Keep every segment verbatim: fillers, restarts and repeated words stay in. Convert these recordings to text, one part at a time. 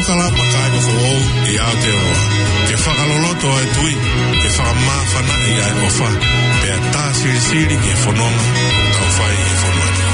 Kalama kāinga foʻou ʻi Aotearoa. Ke fakaloloto ʻa e tui, ke fakamāfanaʻi ʻa e ʻofa, pea tā silisili ki he fononga ʻoku tau fai ʻi he fonua ni.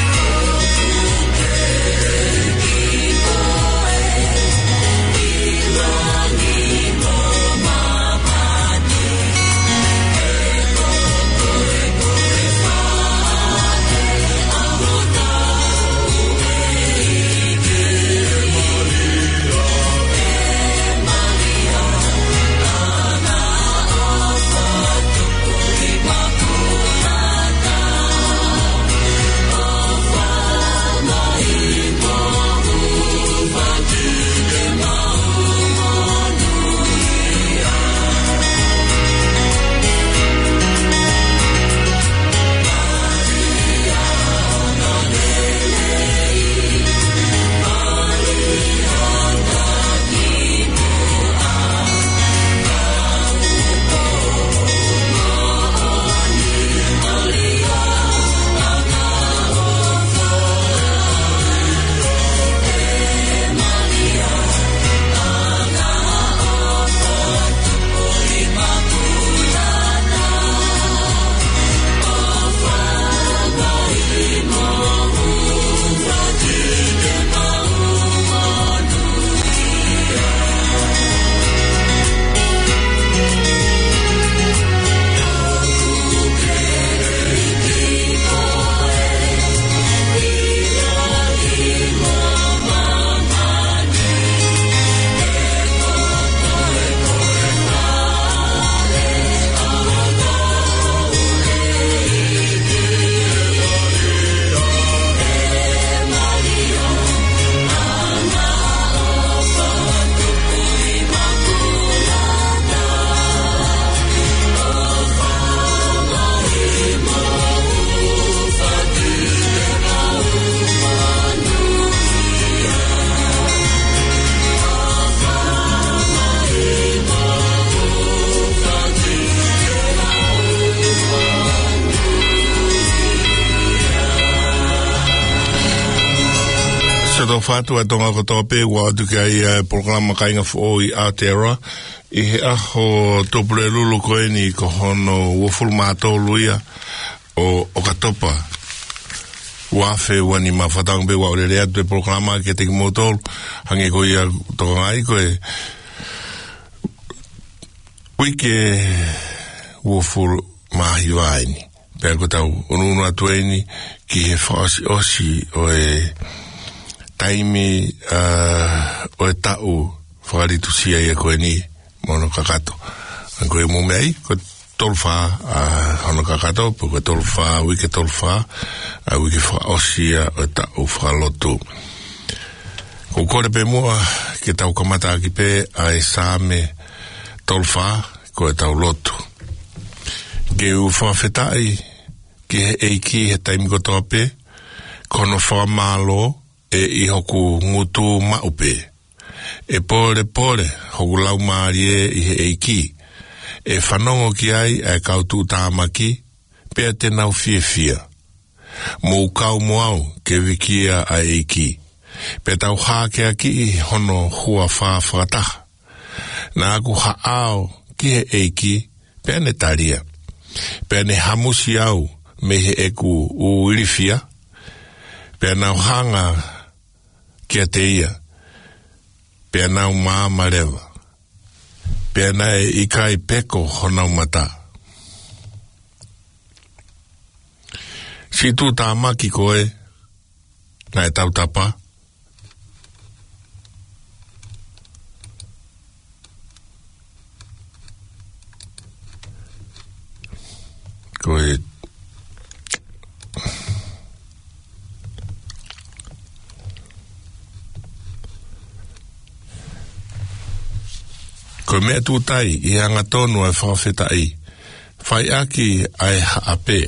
Siʻoto fatu ʻa Tonga kotoa pē, ʻoatu ki ai ʻa e polokalama Kāinga Foʻou ʻi Aotearoa, ʻi he ʻaho Tuʻapulelulu ko eni ko hono uofulu mā tolu ia ʻo ʻOkatopa, ua afe ua nima. Fakatauange pē ʻoku ou lele atu e polokalama kiate kimoutolu, hangē ko ia ʻoku tokangaʻi ko e uike uofulu mā hiva eni. Pea ko ʻetau ʻunuʻunu atu eni ki he fakaʻosiʻosi ʻo e taimi, ā, ʻo e taʻu fakalitusia ia ko eni mo hono kakato. Ko e mou meaʻi, ko e tolu fā, ā, hono kakato, pe ko e tolu fā, uike tolu fā, ā, uike fakaʻosi ia ʻo e taʻu fakalotu. ʻOku ou kole pē muʻa ke tau kamataʻaki pē ʻa e Saame tolu fā, ko ʻetau lotu. Ke u fakafetaʻi ki he ʻEiki he taimi kotoa pē, ko hono fakamālō ʻe ʻi hoku ngutu maʻu pē. ʻE pōlepole hoku laumālie ʻi he ʻEiki. ʻE fanongo ki ai ʻa e kau tuʻutāmaki, pea te nau fiefia. Mou kau mo au ke vikia ʻa e ʻEiki, pea tau hākeakiʻi hono huafa fakataha. Naʻa ku haʻao ki he ʻEiki, pea ne talia. Pea ne hamusi au mei heʻeku ʻū ilifia, pea nau hanga kiate ia, pea nau maama leva, pea naʻe ʻikai peko honau mata. Siʻi tuʻutāmaki ko ē naʻe tautapa, ko e, ko e meʻa tūtai ʻi he angatonu ʻa e fakafetaʻi, fai ʻaki ʻa e haʻape.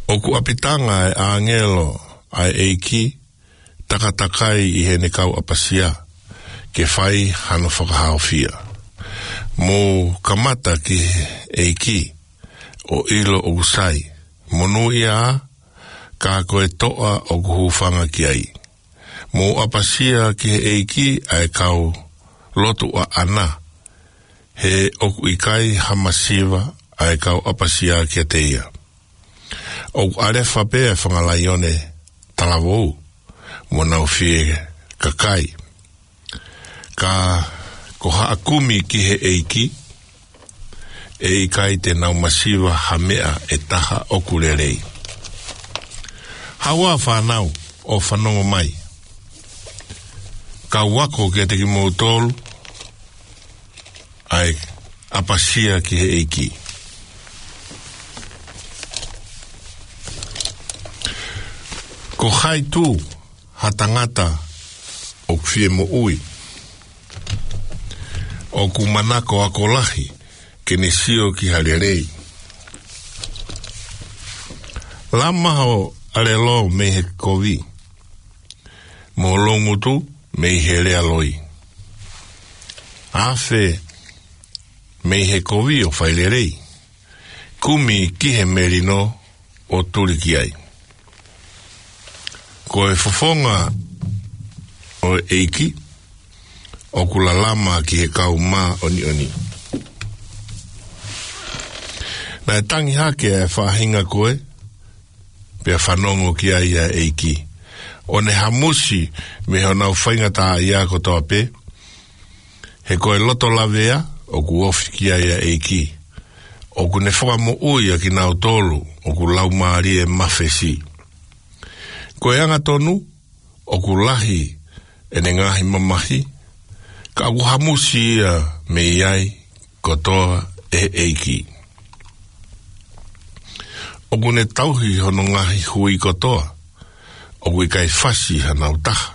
ʻOku ʻapitanga ʻa e ʻāngelo ʻa e ʻEiki, takatakai ʻi heʻene kau ʻapasia, ke fai hano fakahaofia. Mou kamata ki he ʻEiki, ʻo ʻilo ʻoku sai. Monūʻia ā, ka ko e toʻa ʻoku hūfanga ki ai. Mou ʻapasia ki he ʻEiki ʻa e kau lotu ʻaʻana, he ʻoku ʻikai ha masiva ʻa e kau ʻapasia kiate ia. ʻOku ʻalefa pē ʻa e fanga laione talavou, mo nau fie kakai. Ka ko haʻa kumi ki he ʻEiki, ʻe ʻikai te nau masiva ha meʻa ʻe taha ʻoku lelei. Haʻu ā fānau, ʻo fanongo mai. Ka u ako kiate kimoutolu ʻa e ʻapasia ki he ʻEiki. Ko hai tū ha tangata ʻoku fie moʻui, ʻoku manako ako lahi ke ne sio ki ha lelei? Lama ho ʻalelo mei he kovi, mo ho loungutu mei he lea loi. Afe mei he kovi ʻo fai lelei, kumi ki he melino ʻo tuli ki ai. Ko e fofonga ʻo e ʻEiki ʻoku lalama ki he kau māʻoniʻoni. Naʻe tangi hake ʻa e faʻahinga ko ē, pea fanongo ki ai ʻa e ʻEiki, ʻo ne hamusi mei honau faingataʻaʻia kotoa pē. He ko e loto lavea ʻoku ofi ki ai ʻa e ʻEiki, ʻoku ne fakamoʻui ʻa kinautolu ʻoku laumālie mafesi. Ko e angatonu ʻoku lahi ʻene ngaahi mamahi, ka ʻoku hamusi ia mei ai kotoa ʻe he ʻEiki. ʻOku ne tauhi hono ngaahi hui kotoa, ʻoku ʻikai fasi hanau taha.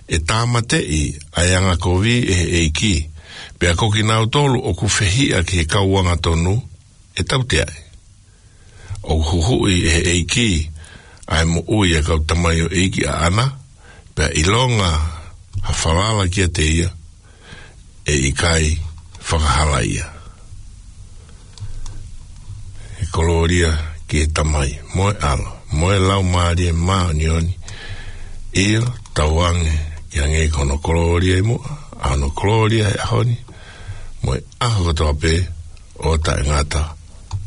ʻE tāmateʻi ʻa e angakovi ʻe he ʻEiki, pea ko kinautolu ʻoku fehiʻa ki he kau angatonu ʻe tauteaʻi. ʻOku huhuʻi ʻe he ʻEiki ʻa e moʻui ʻa e kau tamaioʻeiki ʻaʻana, pea ʻilonga ha falala kiate ia, ʻe ʻikai fakahalaia. ʻE kolōlia ki he Tamai, mo e ʻAlo, mo e Laumālie Māʻoniʻoni. ʻIo, tauange ke hangē ko hono kolōlia ʻi muʻa, ʻa hono kolōlia he ʻaho ni, mo e ʻaho kotoa pē ʻo taʻengata.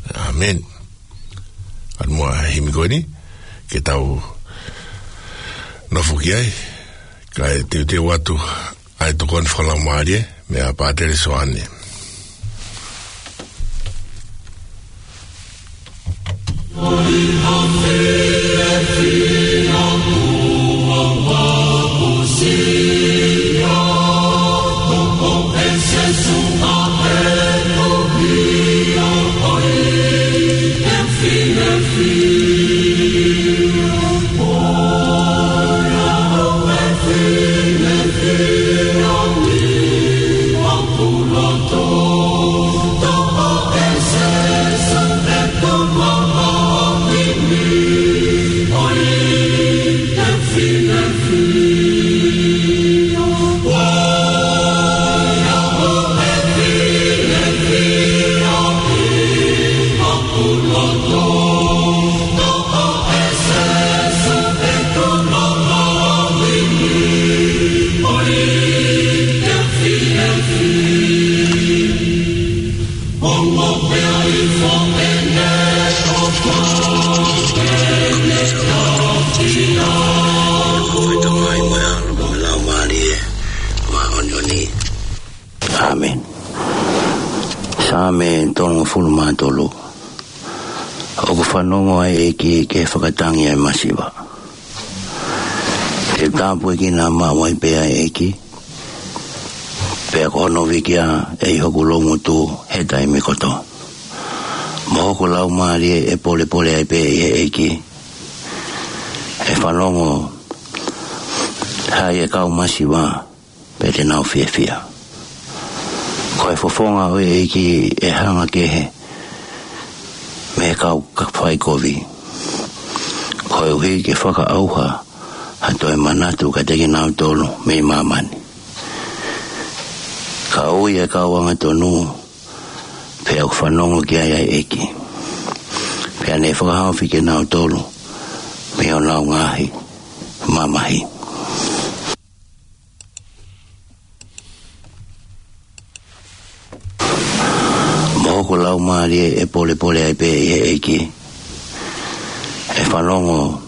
ʻĀmeni. ʻAlu muʻa he himi ko eni ke tau nofo ki ai, kae teuteu atu ʻa e tokoni fakalaumālie meia Pātele Soane. ʻĀmeni. Saame tolungofulu mā tolu. ʻOku fanongo ʻa e ʻEiki ki he fakatangi ʻa e masiva. Ke tāpuekina maʻu ai pē ʻa e ʻEiki, pea ko hono viki ʻa e ʻi hoku loungutu he taimi kotoa. Mo hoku laumālie ʻe polepole ai pē ʻi he ʻEiki. ʻE fanongo hai e kau masiva, pea te nau fiefia. Ko e fofonga ʻo e ʻEiki ʻe hanga kehe mei he kau ka fai kovi, koeʻuhi ke fakaʻauha ha toe manatu kiate kinautolu mei māmani. Ka ui e kau angatonu, pea ʻoku fanongo ki ai ʻa e ʻEiki, pea ne fakahaofi kinautolu mei honau ngaahi mamahi. Mo hoku laumālie ʻe polepole ai pē ʻi he ʻEiki, ʻe fanongo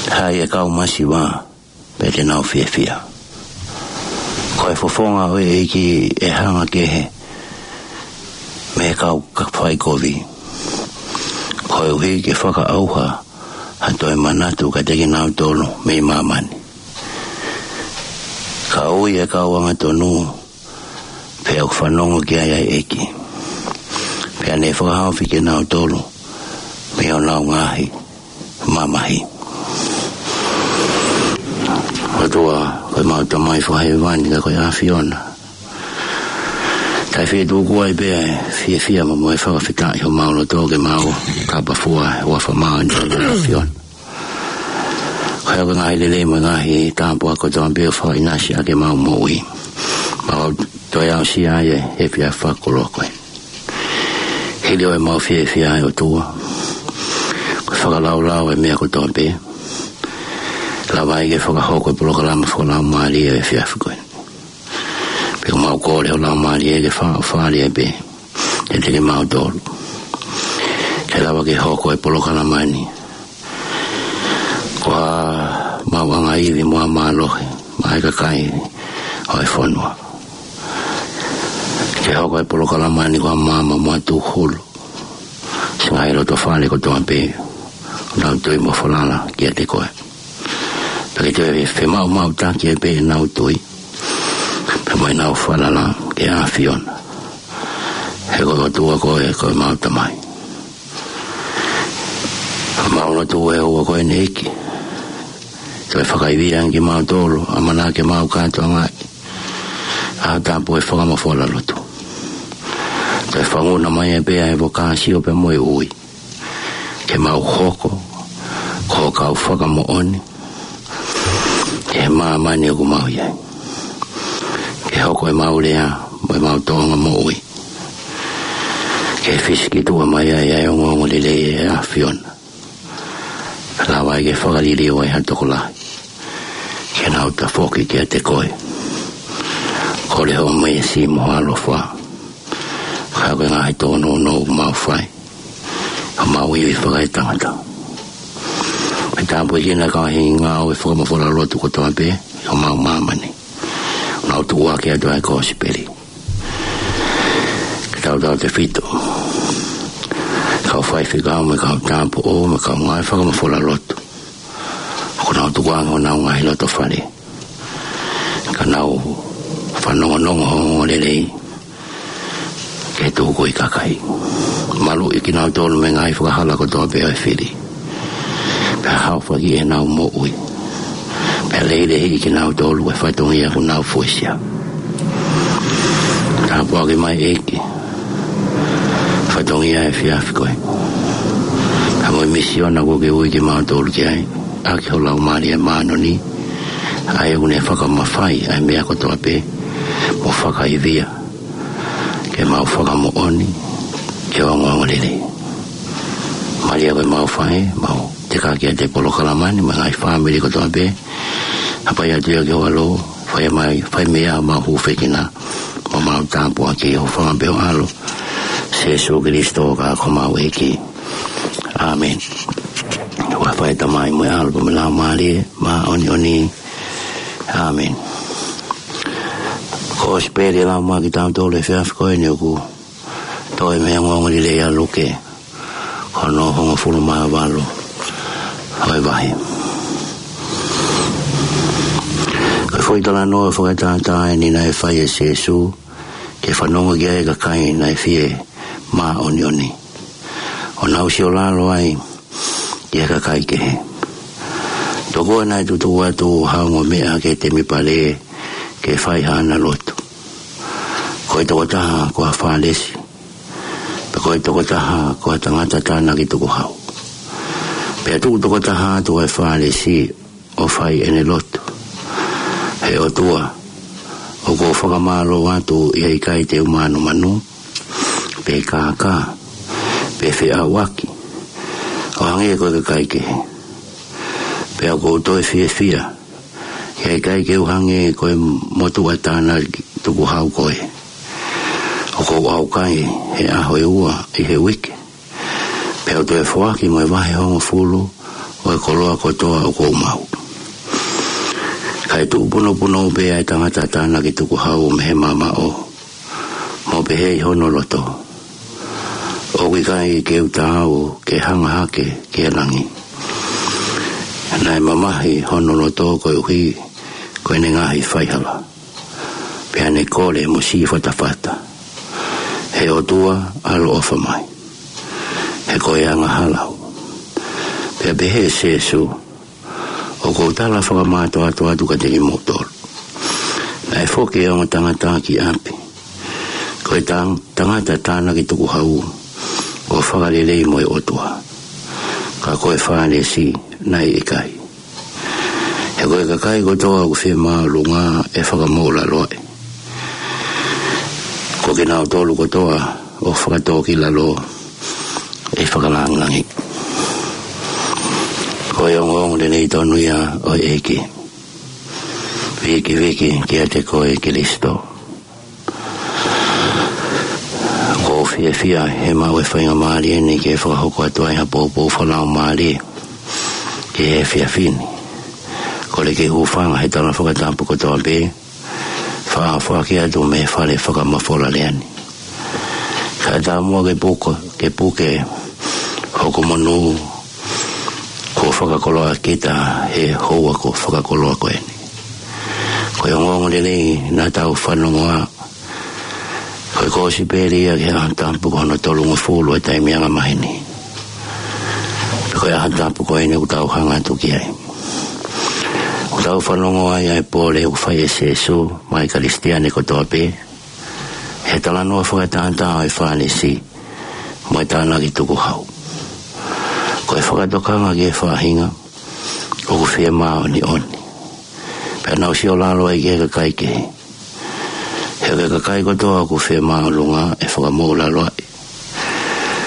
ai e kau masiva, pea te nau fiefia. Ko e fofonga ʻo e ʻEiki ʻe hanga kehe mei he kau ka fai kovi, koeʻuhi ke fakaʻauha ha toe manatu kiate kinautolu mei māmani. Ka ui e kau angatonu, pea ʻoku fanongo ki ai ʻa e ʻEiki, pea ne fakahaofi kinautolu mei honau ngaahi mamahi. ʻOtua, ko ʻemau Tamai Fakahēvani, ka ko e ʻAfiona, ʻoku fie tuku ai pē ʻa e fiefia mo e fakafetaʻi homau loto ke mau kapafua ʻi he huafa māʻoniʻoni ʻo e ʻAfiona. Ko e ngaahi lelei mo e ngaahi tāpuaki kotoa pē ʻoku fakaʻinasi ʻaki ʻemau moʻui, mau toe aʻusia ai he efiafi fakakoloa ko eni. Hili ʻemau fiefia, ʻe ʻOtua, ko e fakalaulau e meʻa kotoa pē, lava ai ke fakahoko e polokalama fakalaumālie ʻo e efiafi ko eni. Pea ʻoku mau kole ho Laumālie ke fāʻofua ai pē kiate kimautolu, ke lava ke hoko e polokalama ni ko ha maʻuʻanga ivi mo ha mālohi maʻa e kakai ʻo e fonua. Ke hoko e polokalama ni ko ha maama mo ha tūhulu ki he ngaahi loto fale kotoa pē ʻoku nau tui mo falala kiate koe, pea ke toe femaʻumaʻutaki ai pē ʻenau tui pea mo ʻenau falala ki he ʻAfiona. He ko e ʻOtua koe, ko ʻemau Tamai. Mau lotu ʻe ʻOtua ko eni, ʻEiki, toe fakaivia ange kimautolu, ʻamanaki ke mau kātoangaʻi ʻa e tāpuaki ʻo e fakamafola lotu. Toe fanguna mai ai pē ʻa e vokāsio pea mo e ui, ke mau hoko ko e kau fakamoʻoni ki he māmani ʻoku mau ʻi ai. Ke hoko ʻemau lea mo ʻemau tōʻonga moʻui ke fisikituʻa mai ai ʻa e ongoongolelei ʻo e ʻAfiona, lava ai ke fakaliliu ai ha tokolahi ke nau tafoki kiate koe. Kole hoʻo meesi mo ho ʻaloʻofa, kae ʻumaʻā e ngaahi tōnounou ʻoku mau fai, ʻoku mau ivi fakaetangata. Ke tāpuekina e kau ngāue fakamafola lotu kotoa pē ʻi homau māmani, ʻoku nau tuʻuaki atu ʻa e kosipeli. Ke tautautefito e kau faifekau mo e kau tāupoʻou mo e kau ngāue fakamafola lotu ʻoku nau tukuange honau ngaahi loto fale, ka nau fanongonongo hoʻo ongoongolelei ke tuku ʻi he kakai. Maluʻi kinautolu mei he ngaahi fakahala kotoa pē ʻo e fili, pea haofaki ʻenau moʻui, pea lehilehiʻi kinautolu ʻe he fatongia ʻoku nau fuesia. Tāpuaki mai, ʻEiki, e fatongia ʻo e efiafi ko eni, pea mo e misiona kuo ke ui kimautolu ki ai ʻaki ho Laumālie Māʻoniʻoni, ʻa ia ʻoku ne fakamafai ʻa e meʻa kotoa pē mo fakaivia ke mau fakamoʻoni ki he ongoongolelei. Mālie ko ʻemau faʻē, mau teka kiate polokalama ni mo e ngaahi fāmili kotoa pē. Hapai atu ia ki ho ʻAlo, fai mai, fai mei ai homau hūfekina mo homau tāpuaki, ʻi he huafa pē ho ʻAlo, Sīsū Kalaisi ko homau ʻEiki. ʻĀmeni. Huafa ʻo e Tamai mo e ʻAlo pea mo e Laumālie Māʻoniʻoni. ʻĀmeni. Kosipeli ʻe lau mai kiate kitautolu he efiafi ko eni ʻoku toʻo mei he ongoongolelei ʻa Luke, ko hono hongofulu mā valu ʻo e vahe. Ko e foʻi talanoa fakatātā eni naʻe fai ʻe Sīsū ke fanongo ki ai e kakai naʻe fie māʻoniʻoni, ʻo nau siolalo ai ki he kakai kehe. Tokua naʻe tutuʻu atu ha ongo meʻa ki he temipale ke fai haʻana lotu. Ko e tokotaha ko ha Fālesi, pea ko e tokotaha ko ha tangata tānaki tukuhau. Pea tuʻu tokotaha atu ʻa e Fālesi ʻo fai ʻene lotu: He ʻOtua, ʻOku ou fakamālō atu ʻi he ʻikai te u mānumanu, pe kākā, pe feʻauaki, ʻo hangē ko e kakai kehe. Pea ʻoku ou toe fiefia, ʻi he ʻikai ke u hangē ko e motuʻa tānaki tukuhau ko ē. ʻOku ou ʻaukai he ʻaho ʻe ua ʻi he uike. Pea u toe foaki mo e vahe hongofulu ʻo e koloa kotoa ʻoku ou maʻu. Kae tuʻu punopunou pē ʻa e tangata tānaki tukuhau mei he mamaʻo, mo pehē ʻi hono loto, ʻOku ʻikai ke u taau ke hanga hake ki he langi. Naʻe mamahi hono loto koeʻuhi ko ʻene ngaahi faihala. Pea ne kole mo sīfatafata, ʻE ʻOtua, ʻaloʻofa mai, he ko e angahala au. Pea pehē ʻe Sēsū, ʻOku ou tala fakamātoato atu kiate kimoutolu, naʻe foki e ongo tangata ki ʻapi, ko e tang-, tangata tānaki tukuhau, ʻo fakalelei mo e ʻOtua. Ka ko e Fālesi naʻe ʻikai. He ko e kakai kotoa ʻoku fie māʻolunga ʻe fakamoʻulaloaʻi. Ko kinautolu kotoa ʻoku fakatōkilalo ʻe fakalāngilangiʻi. Ko e ongoongo lelei tonu ia ʻo e ʻEiki. Vikiviki kiate koe Kalaisi. ʻOku ou fiefia he maʻu e faingamālie ni ke fakahoko atu ai ha poupou fakalaumālie ki he efiafi ni. Kole ke u hūfanga he tala fakatapu kotoa pē, fakafoki atu mei he fale fakamafola lea ni. Kae tāmuʻa ke puka, ke puke hoku monū kuo fakakoloa kita he houa kuo fakakoloa ko eni. Ko e ongoongo lelei naʻa tau fanongoa, ko e kōsipeli ia ki he ʻaho tapu ko hono tolungofulu ʻo e taimi angamaheni. Ko e ʻaho tapu ko eni ʻoku tau hanga atu ki ai. ʻOku tau fanongoa ai ʻa e pole ʻoku fai ʻe Sēsū maʻa e Kalisitiane kotoa pē, he talanoa fakatātā ʻo e Fālesi mo e tānaki tukuhau. Ko e fakatokanga ki he faʻahinga ʻoku fie māʻoniʻoni, pea nau siolalo ai ki he kakai kehe. He ko e kakai kotoa ʻoku fie māʻolunga ʻe fakamoʻulaloaʻi.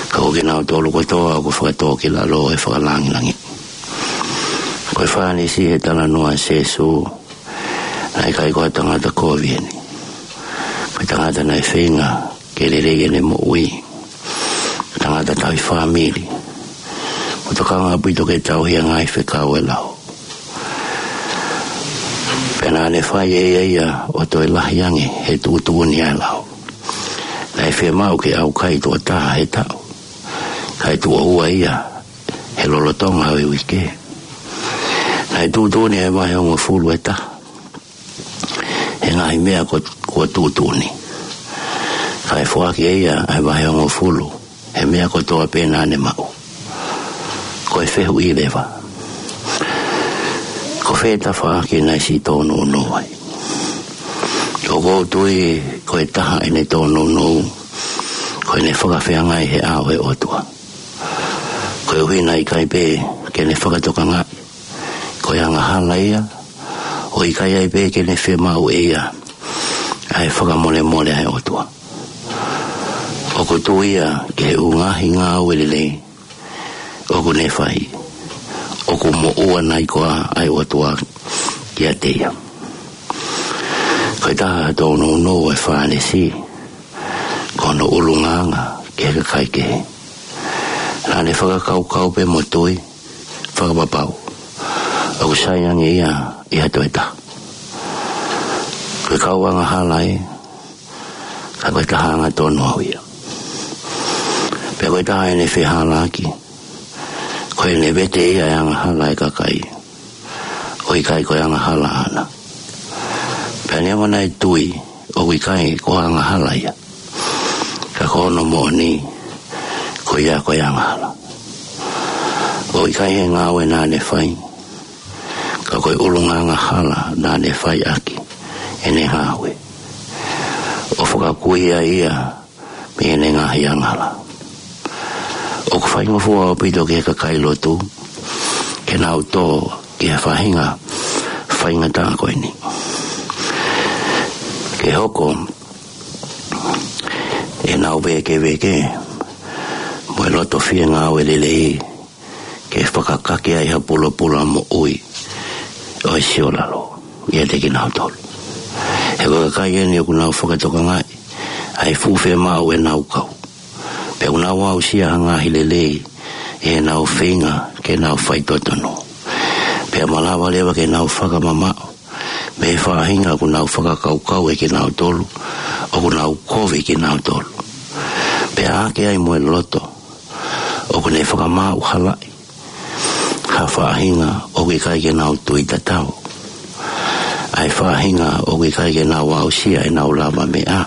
Ka ko kinautolu kotoa ʻoku fakatōkilalo ʻe fakalāngilangiʻi. Ko e Fālesi he talanoa ʻa Sēsū, naʻe ʻikai ko ha tangata kovi eni. Ko e tangata naʻe feinga ke lelei ʻene moʻui. Tangata tauhi fāmili. ʻOku tokanga ʻaupito ke tauhi ʻa e ngaahi fekau ʻo e lao. Pea naʻa ne fai ʻe ia ia ʻo toe lahi ange he tuʻutuʻuni ʻa e lao. Naʻe fiemaʻu ke ʻaukai tuʻo taha he taʻu, kae tuʻo ua ia he lolotonga ʻo e uike. Naʻe tuʻutuʻuni ʻa e vahe hongofulu ʻe taha he ngaahi meʻa kuo, kuo tuʻutuʻuni. Kae foaki ʻe ia ʻa e vahe hongofulu he meʻa kotoa pē naʻa ne maʻu. Ko e fehuʻi leva, ko fē tafaʻaki naʻe siʻi tōnounou ai? ʻOku ou tui ko e taha ʻene tōnounou, ko ʻene fakafeangai he ʻao ʻo e ʻOtua. Koeʻuhi naʻe ʻikai pē ke ne fakatokangaʻi ko e angahala ia, ʻo ʻikai ai pē ke ne fiemaʻu ʻe ia ʻa e fakamolemole ʻa e ʻOtua. ʻOku tuʻu ia ki he ʻū ngaahi ngāue lelei ʻoku ne fai, ʻoku moʻua nai koā ʻa e ʻOtua kiate ia? Ko e taha ha tōnounou ʻo e Fālesi, ko hono ʻulungaanga ki he kakai kehe. Naʻa ne fakakaukau pē mo tui fakapapau ʻoku sai ange ia ʻi ha toe taha. Ko e kau angahala ē, ka ko e taha angatonu au ia. Pea ko e taha ʻene fehālaaki, ko ʻene vete ia e angahala ʻa e kakai, ʻo ʻikai ko e angahala ʻaʻana. Pea neongo naʻe tui ʻoku ʻikai ko ha angahala ia, ka ko hono moʻoni, ko ia ko e angahala. ʻO ʻikai he ngāue naʻa ne fai, ka ko e ʻulungaanga hala naʻa ne fai ʻaki ʻene ngāue, ʻo fakakū ai ia mei heʻene ngaahi angahala. ʻOku faingofua ʻaupito ki he kakai lotu ke nau tō ki he faʻahinga faingataʻa ko eni. ʻe hoko ʻenau vēkeveke mo e loto fie ngāue lelei ke fakakake ai ha pulopula moʻui ʻo e siolalo ʻiate kinautolu. He ko e kakai eni ʻoku nau fakatokangaʻi ʻa e fuʻu fiemaʻu ʻenau kau, pea ʻoku nau aʻusia ha ngaahi lelei ʻi heʻenau feinga ke nau faitotonu. Pea malava leva ke nau fakamamaʻo mei he faʻahinga ʻoku nau fakakaukau ʻe kinautolu ʻoku nau kovi kinautolu. Pea ʻoku ʻi ai mo e loto ʻoku ne fakamaʻu halaʻi ha faʻahinga ʻoku ʻikai ke nau tui tatau, ʻa e faʻahinga ʻoku ʻikai ke nau aʻusia ʻenau lavameʻa.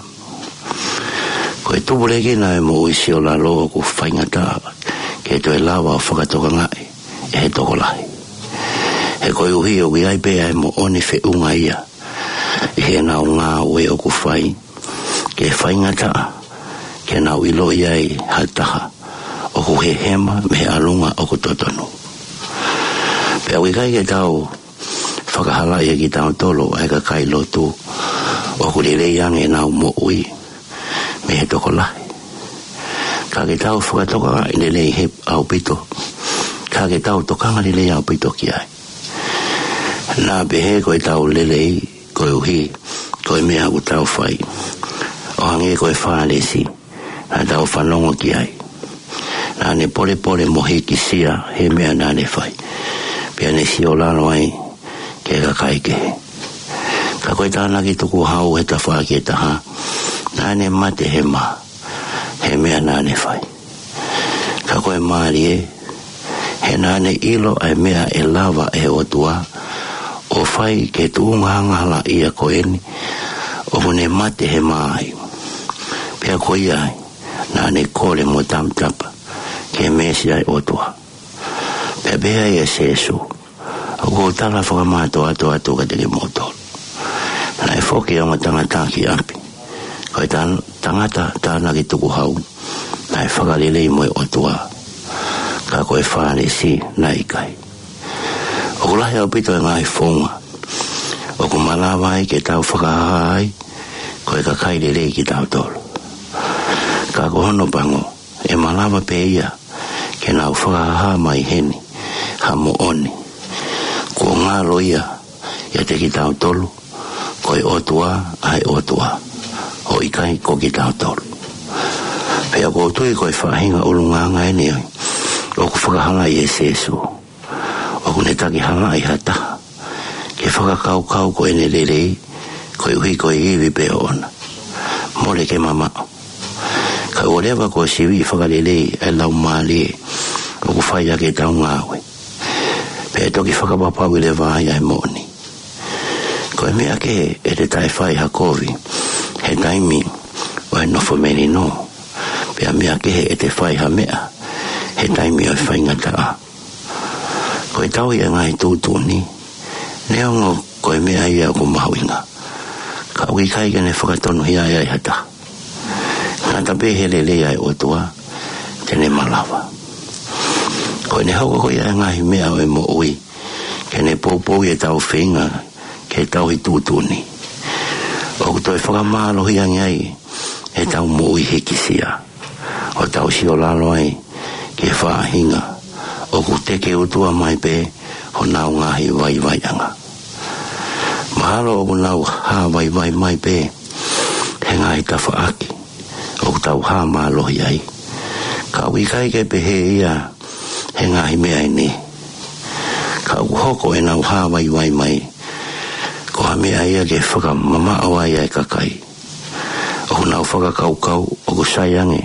Ko e tupulekina ʻo e moʻui siolalo ʻoku faingataʻa ke toe lava ʻo fakatokangaʻi ʻe he tokolahi. He koeʻuhi ʻoku ʻi ai pē ʻa e moʻoni feʻunga ia ʻi heʻenau ngāue ʻoku fai, ke faingataʻa ke nau ʻiloʻi ai ha taha ʻoku hehema mei he ʻalunga ʻoku totonu. Pea ʻoku ʻikai ke tau fakahalaʻi ʻe kitautolu ʻa e kakai lotu ʻoku lelei ange ʻenau moʻui mei he tokolahi. Ka ke tau fakatokangaʻi lelei he ʻaupito, ka ke tau tokanga lelei ʻaupito ki ai. Naʻa pehē ko ʻetau lelei koeʻuhi ko e meʻa ʻoku tau fai. ʻO hangē ko e Fālesi naʻa tau fanongo ki ai, naʻa ne polepole mo hikisia he meʻa naʻa ne fai, pea ne siolalo ai ki he kakai kehe. Ka ko e tānaki tukuhau he tafaʻaki ʻe taha, naʻa ne mate hema he meʻa naʻa ne fai. Ka ko e mālie, he naʻa ne ʻilo ʻa e meʻa ʻe lava ʻe he ʻOtua ʻo fai ki he tuʻunga angahalaʻia ko eni ʻoku ne mate hema ai. Pea ko ia ai naʻa ne kole mo tamatapa ki he Mēsia ʻo e ʻOtua. Pea pehē ai ʻe Sēsū, ʻoku ou tala fakamātoato atu kiate kimoutolu, naʻe foki ʻa e Ongo Tangata ki ʻapi, ko e tan-, tangata tānaki tukuhau naʻe fakalelei mo e ʻOtua, ka ko e Fālesi naʻe ʻikai. ʻOku lahi ʻaupito e ngaahi founga ʻoku malava ai ke tau fakahā ai ko e kakai lelei kitautolu. Ka ko hono pango, ʻe malava pē ia ke nau fakahā mai heni ha moʻoni kuo ngalo ia ʻiate kitautolu, ko e ʻOtua ʻa e ʻOtua, ʻo ʻikai ko kitautolu. Pea ʻoku ou tui ko e faʻahinga ʻulungaanga eni ʻoku fakahalaʻi ʻe Sēsū. ʻOku ne takihalaʻi ha taha ke fakakaukau ko ʻene lelei koeʻuhi ko e ivi pē ʻoʻona. Mole ke mamaʻo. Ka ʻoua leva kuo siviʻi fakalelei ʻa e laumālie ʻoku fai ʻaki ʻetau ngāue, pea toki fakapapauʻi leva ai ʻa e moʻoni. Ko e meʻa kehe ʻete taʻefai ha kovi he taimi ʻo e nofo melino, pea meʻa kehe ʻete fai ha meʻa he taimi ʻo e faingataʻa. Ko e tauhi ʻa e ngaahi tuʻutuʻuni, neongo ko e meʻa ia ʻoku mahuʻinga, ka ʻoku ʻikai ke ne fakatonuhiaʻi ai ha taha. Ngata pē he lelei ʻa e ʻOtua, te ne malava. Ko ʻene hoko ko ia ʻa e ngaahi meʻa ʻo e moʻui ke ne poupouʻi ʻetau feinga ke tauhi tuʻutuʻuni, ʻoku toe fakamālohi ange ai ʻetau moʻui hikisia, ʻo tau siolalo ai ki he faʻahinga ʻoku teke utua mai pē honau ngaahi vaivaiʻanga. Mahalo ʻoku nau hā vaivai mai pē he ngaahi tafaʻaki ʻoku tau hā mālohi ai, ka ʻoku ʻikai ke pehē ia he ngaahi meʻa ʻe niʻihi. Ka ʻoku hoko ʻenau hā vaivai mai ko ha meʻa ia ke fakamamaʻo ai ʻa e kakai ʻoku nau fakakaukau ʻoku sai ange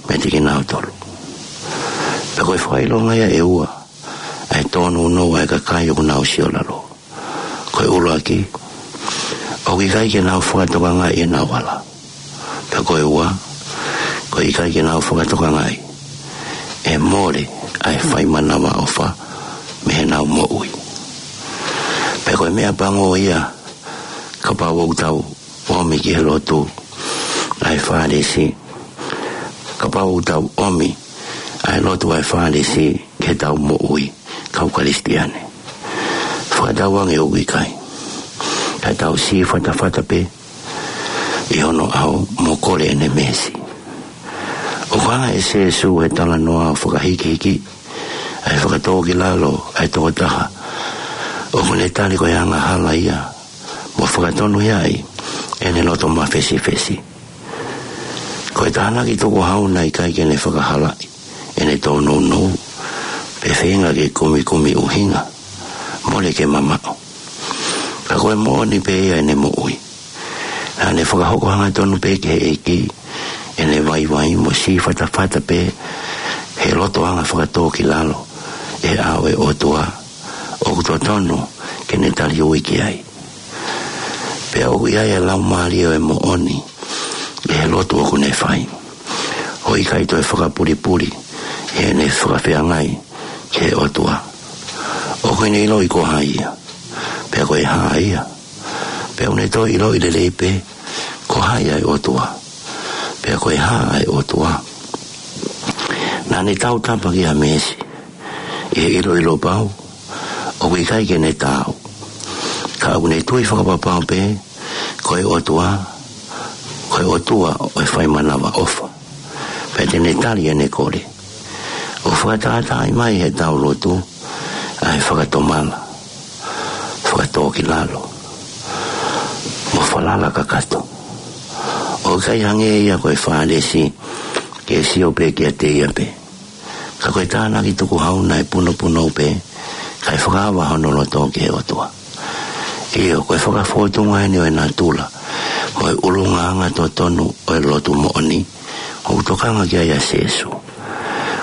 meiate kinautolu. Pea ko e fakaʻilonga ia ʻe ua ʻa e tōnounou ʻa e kakai ʻoku nau siolalo. Ko e ʻuluaki, ʻoku ʻikai ke nau fakatokangaʻi ʻenau ala. Pea ko e ua, ʻoku ʻikai ke nau fakatokangaʻi ʻe mole ʻa e fai manavaʻofa mei heʻenau moʻui. Pea ko e meʻa pango ia, kapau ʻoku tau ʻomi ki he lotu ʻa e Fālesi, kapau ʻoku tau ʻomi ʻa e lotu ʻa e Fālesi ki heʻetau moʻui kau Kalisitiane. Fakatauange ʻoku ʻikai. Ka tau sī fatafata pē, ʻi hono ʻao mo kole ʻene meesi. ʻOku hanga ʻe Sīsū he talanoa ʻo fakahikihiki ʻa e fakatōkilalo ʻa e tokotaha ʻoku ne tali ko e angahala ia, mo fakatonuhiaʻi ʻene loto mafesifesi. Ko e tānaki tukuhau naʻe ʻikai ke ne fakahalaʻi ʻene tōnounou, pe feinga ke kumikumi ʻuhinga, mole ke mamaʻo. Ka ko e moʻoni pē ia ʻene moʻui. Naʻa ne fakahoko hangatonu pē ki he ʻEiki ʻene vaivai mo sī fatafata pē he loto anga fakatōkilalo ʻi he ʻao ʻo e ʻOtua ʻoku totonu ke ne tali ui ki ai. Pea ʻoku ʻi ai ʻa e laumālie ʻo e moʻoni ʻi he lotu ʻoku ne fai, ʻo ʻikai toe fakapulipuli ʻi heʻene fakafeangai ki he ʻOtua. ʻOku ne ʻiloʻi ko hai ia, pea ko e hā ia, pea ʻoku ne toe ʻiloʻi lelei pē ko hai ʻa e ʻOtua, pea ko e hā ʻa e ʻOtua. Naʻa ne tautapa ki ha meesi ʻi he ʻiloʻilo pau ʻoku ʻikai ke ne taau, ka ʻoku ne tui fakapapau pē ko e ʻOtua, ko e ʻOtua ʻo e fai manavaʻofa, pea te ne tali ʻene kole. ʻOku fakatātaaʻi mai heʻetau lotu ʻa e fakatomala, fakatōkilalo, mo falala kakato. ʻOku ʻikai hangē ia ko e Fālesi ke sio pē kiate ia pē, ka ko e tānaki tukuhau naʻe punopunou pē, kae fakaava hono loto ki he ʻOtua. ʻIo, ko e fakafōtunga eni ʻo e natula mo e ʻulungaanga totonu ʻo e lotu moʻoni ʻoku tokanga ki ai ʻa Sīsū.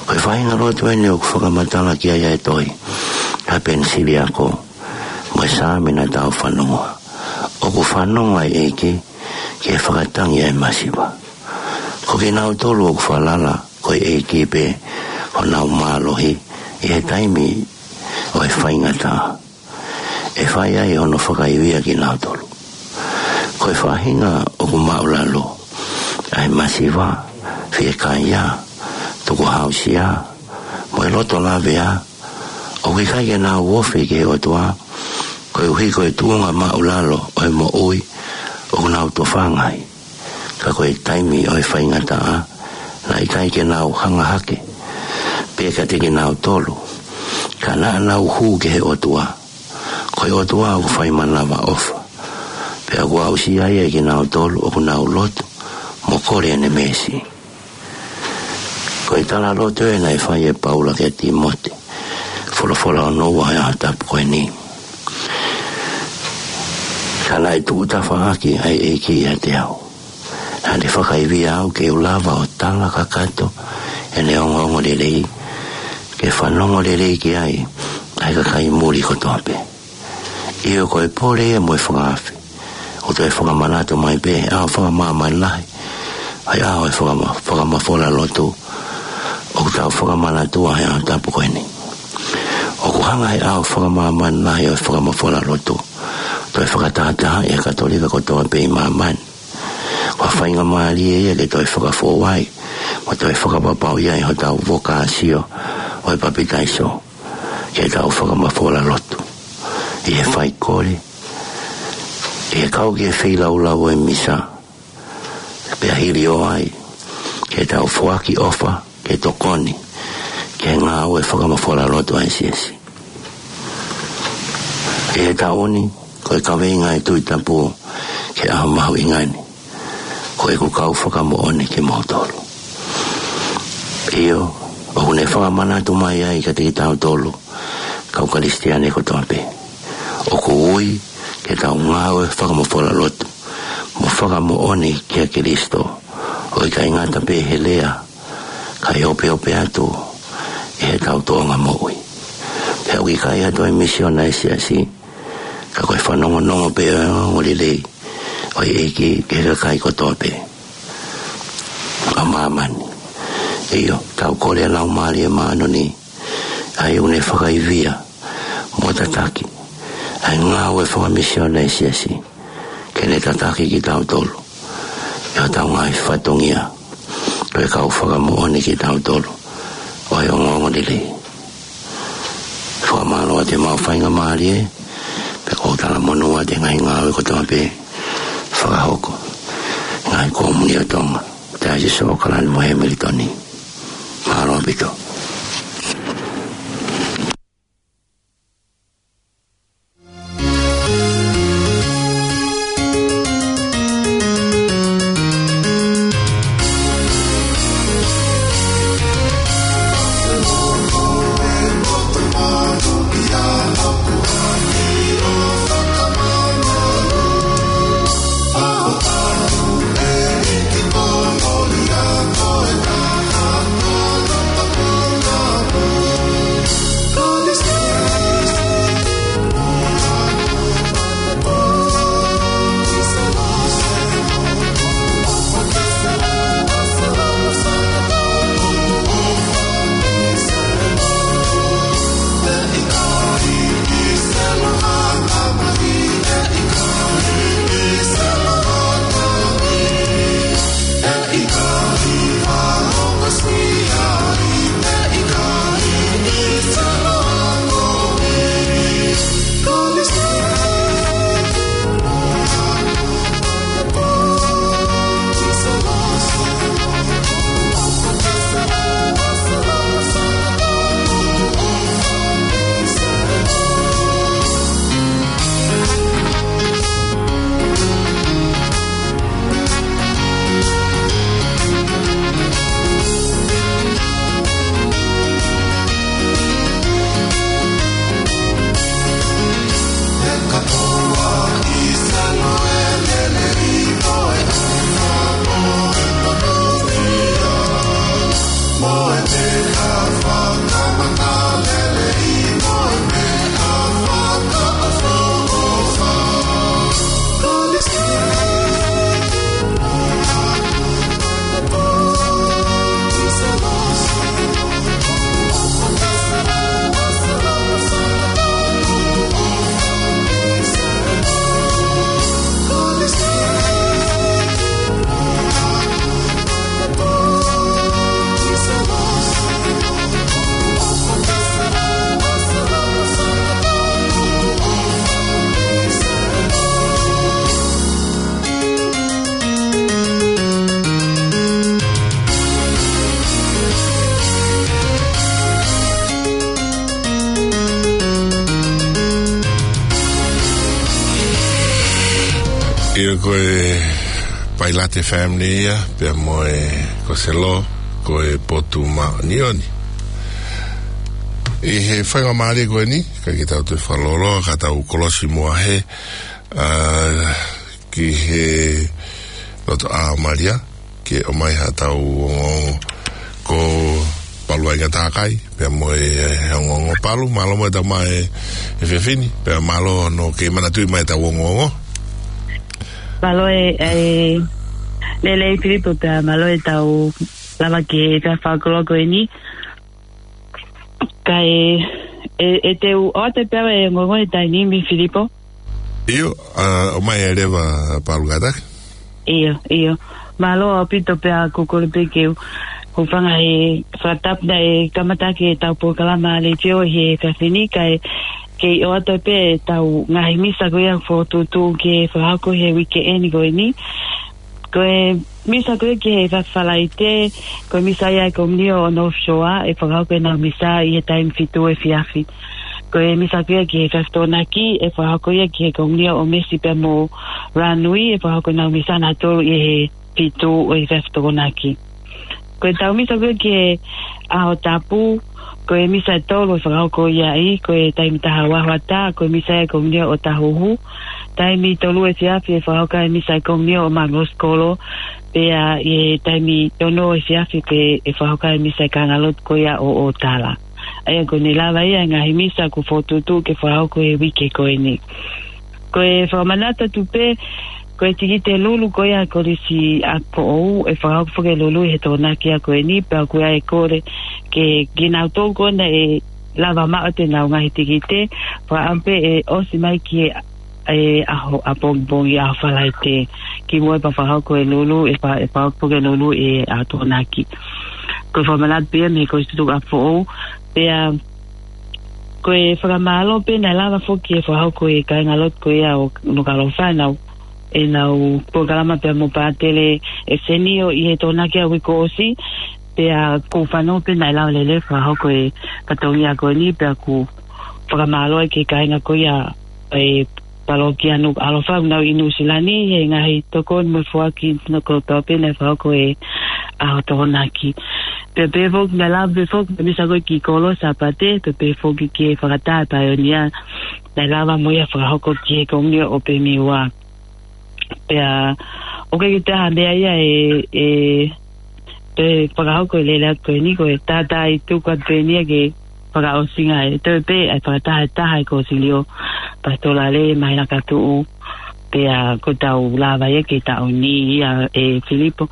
Ko e faʻahinga lotu eni ʻoku fakamatala ki ai ʻa e tohi ʻa Penisiliako mo e Saame naʻa tau fanongoa. ʻOku fanongo ʻa e ʻEiki ki he fakatangi ʻa e masiva. Ko kinautolu ʻoku falala ko e ʻEiki pē honau mālohi ʻi he taimi ʻo e faingataʻa, ʻe fai ai hono fakaivia kinautolu. Ko e faʻahinga ʻoku māʻulalo ʻa e masiva, fiekaia, tukuhausia, mo e loto lavea, ʻoku ʻikai ke nau ofi ki he ʻOtua, koeʻuhi ko e tuʻunga māʻulalo ʻo e moʻui ʻoku nau tofanga ai. Ka ko e taimi ʻo e faingataʻa, naʻe ʻikai ke nau hanga hake pē kiate kinautolu, ka naʻa nau hū ki he ʻOtua. Ko e ʻOtua ʻoku fai manavaʻofa, pea ʻoku aʻusia ia ʻe kinautolu ʻoku nau lotu mo kole ʻene meesi. Ko e talaloto ē naʻe fai ʻe Paula kia Tīmote, folofola hono ua ʻo e ʻaho tapu ko eni. Ka naʻe tuʻu tafaʻaki ʻa e ʻEiki ʻiate au. Naʻa ne fakaivia au ke u lava ʻo tala kakato ʻene ongoongolelei, ke fanongo lelei ki ai ʻa e kakai muli kotoa pē. ʻIo, ko e pole ia mo e fakaafe, ʻoku toe fakamanatu mai pē ʻa e ʻaho fakamāmani lahi, ʻa e ʻaho ʻo e fakama-, fakamafola lotu ʻoku tau fakamanatu ai ʻi he ʻaho tapu ko eni. ʻOku hanga ʻe he ʻaho fakamāmani lahi ʻo e fakamafola lotu, toe fakatātaaʻi ʻa e Katolika kotoa pē ʻi māmani. Ko ha faingamālie ia ke toe fakafou ai mo toe fakapapauʻi ai hotau vokāsio ʻo e papitaiso, ke tau fakamafola lotu ʻi he faikole, ʻi he kau ki he feilaulau ʻo e misa, pea hili ʻo ai ke tau foaki ʻofa ke tokoni ki he ngāue fakamafola lotu ʻa e siasi. ʻI he taʻu ni, ko e kaveinga ʻa e Tuʻi Tapu ki he ʻaho mahuʻinga ni, ko ʻeku kau fakamoʻoni kimoutolu. ʻIo, ʻoku ne fakamanatu mai ai kiate kitautolu kau Kalisitiane kotoa pē, ʻoku ui ke tau ngāue fakamafola lotu mo fakamoʻoni kia Kilisito, ʻo ʻikai ngata pē he lea, kae opeope atu ʻi heʻetau tōʻonga moʻui. Pea ʻoku ʻikai ha toe misiona ʻa e siasi, ka ko e fanongonongo pē ʻo e ongoongolelei ʻo e ʻEiki ki he kakai kotoa pē ʻo māmani. ʻIo, tau kole ʻa e Laumālie Māʻoniʻoni, ʻa ia ʻoku ne fakaivia mo tataki ʻa e ngāue fakamisiona ʻa e siasi, ke ne tataki kitautolu ʻi hotau ngaahi fatongia, ko e kau fakamoʻoni kitautolu ʻo e ongoongolelei. Fakamālō atu ʻemau faingamālie, pea ʻoku ou talamonū atu ʻi he ngaahi ngāue kotoa pē ʻe fakahoko. Ngaahi kōmuni ʻo Tonga, Taisesi ʻAokalani mo Hemilitoni. Mālō ʻaupito. ʻIo, ko e Pailate Family ia, pea mo e Koselo, ko e Potu Māʻoniʻoni. ʻI he faingamālie ko eni, ka ke tau toe fakalōloa, ka tau kolosi muʻa he, ʻa, ki he loto ʻa Malia, ke ʻomai haʻatau ongoongo ko Palu Aingatākai, pea mo e, e ongoongo Palu, mālō mo e tau mai e, e fefine, pea mālō hono kei manatuʻi mai e tau ongoongo. Mālō e, e, lelei Filipo, pea mālō e tau lava ke ta fakalōloa ko eni. Ka e, e, e te u ʻoatu pē ʻa e ongoongo he taimi ni Filipo. ʻIo, ʻa, ʻomai e leva Palu Aingatākai. ʻIo, ʻio. Mālō ʻaupito pea ʻoku ou kole pē ke u hūfanga he fakatapu naʻe kamata ʻaki e tau polokalama letiō he efiafi ni, ka e kei ʻoatu pē e tau ngaahi misa ko ia fokotuʻutuʻu ke fakahoko he uike eni ko eni. Ko e misa ko ia ki he efiafi Falaite, ko e misa ia ʻa e Komiunio ʻo North Shore, ʻe fakahoko ʻenau misa ʻi he taimi fitu efiafi. Ko e misa ko ia ki he efiafi Tokonaki, ʻe fakahoko ia ki he Komiunio ʻo Mesi pea mo Ranui, ʻe fakahoko ʻenau misa nautolu ʻi he fitu ʻo e efiafi Tokonaki. Ko e tau misa ko ia ki he ʻaho tapu, ko e misa ʻe tolu ʻe fakahoko ia ʻi, ko e taimi taha ua hoʻatā, ko e misa ia ʻa e Komiunio ʻo Tahuhu. Taimi tolu efiafi ʻe fakahoko ai e misa ʻa e Komiunio ʻo Mangos Kolo, pea ʻi he taimi ono efiafi pē ʻe fakahoko ai e misa ʻa e kāingalotu ko ia ʻo ʻOtala. ʻA ia ko eni lava ia e ngaahi misa kuo fokotuʻutuʻu ke fakahoko he uike ko eni. Ko e fakamanatu atu pē, ko e tikite lulu ko ia ʻa e Kolisi ʻApifoʻou, ʻe fakahoko foki e lulu ʻi he Tokonaki ia ko eni, pea ʻoku ʻi ai e kole ke, kinautolu ko ē naʻe lava maʻu atu ʻenau ngaahi tikite, fakaʻamu pē ʻe ʻosi mai ki he, e ʻaho ʻapongipongi, ʻaho Falaite, kimuʻa pea fakahoko e lulu, ʻe fa-, ʻe fakahoko foki e lulu ʻi he ʻaho Tokonaki. Ko e fakamanatu pē ia mei he Kolisi Tutuku ʻApifoʻou, pea ko e fakamālō pē naʻe lava foki ʻo fakahoko ʻe he kāingalotu ko ia ʻo Nukuʻalofa ʻenau ʻenau polokalama pea mo Pātele ʻEsenio ʻi he Tokonaki ʻa e uike kuo ʻosi, pea ʻoku ou fanongo pē naʻe lava lelei fakahoko e fatongia ko eni, pea ʻoku fakamālō ki he kāinga ko ia ʻo e palokia Nukuʻalofa ʻoku nau ʻi Nuʻusila ni, he ngaahi tokoni mo e foaki no ko tau pē naʻe fakahoko he ʻaho Tokonaki. Pea pehē foki naʻe lava pē foki, pea misa ko e kiʻi kolo Sāpate, pea pehē foki ki he fakataha e paionia naʻe lava mo ia fakahoko ki he Komiuniti ʻo Pemiua. Pea ʻoku ʻikai ke toe ʻi ai ha meʻa ia ʻe, ʻe, ʻe fakahoko e lele atu ko eni, ko e tātā ʻi tuku atu pē eni ia ke fakaʻosinga e toe pē ʻa e fakataha e taha e Kōsilio Pasitolale Māhina Katuʻu. Pea ko ʻetau lava ia ke taʻu ni ia ʻe Filipo.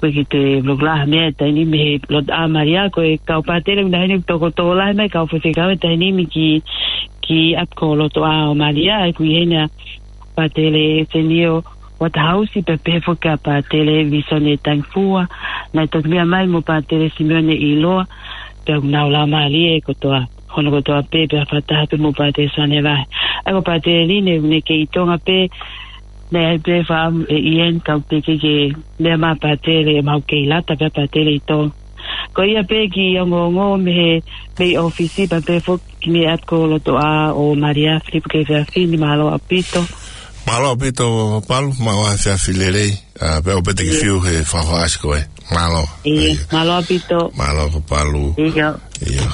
ʻOku ʻikai ke toe loka ha meʻa he taimi ni mei he Lotoʻā ʻo Malia, ko e kau pātele ʻoku nau ʻi heni ʻoku tokotō lahi mai, kau faifekau he taimi ni mei ki, ki ʻApilotoʻā ʻo Malia, ʻa ia ʻoku ʻi heni ʻa Pātele ʻEsenio Uatahausi, pea pehē foki kia Pātele Visone Tangifua, naʻe toki meʻa mai mo Pātele Simione ʻIloa, pea ʻoku nau laumālie kotoa, hono kotoa pē, pea fakataha pē mo Pātele Suane Vahe. ʻA ia ko Pātele Line, ʻoku ne kei ʻi Tonga pē, naʻe ʻi ai pē fakaʻamu ʻe Ian, ka ʻoku teʻeki ke meʻa mai Pātele, ʻe mau kei lata pē Pātele ʻi Tonga. Ko ia pē kiʻi ongoongo mei he, mei ʻōfisi, pea pehē foki ki he ʻapilotoʻā ʻo Malia, Filipo Kefeafini, mālō ʻaupito. Mālō ʻaupito, Palu, mālō ʻaupito, efiafi lelei, ʻa, pea ʻoua pē te ke fiu he fakaʻasi ko ē. Mālō. ʻIo, mālō ʻaupito. Mālō ko Palu. ʻIo. ʻIo.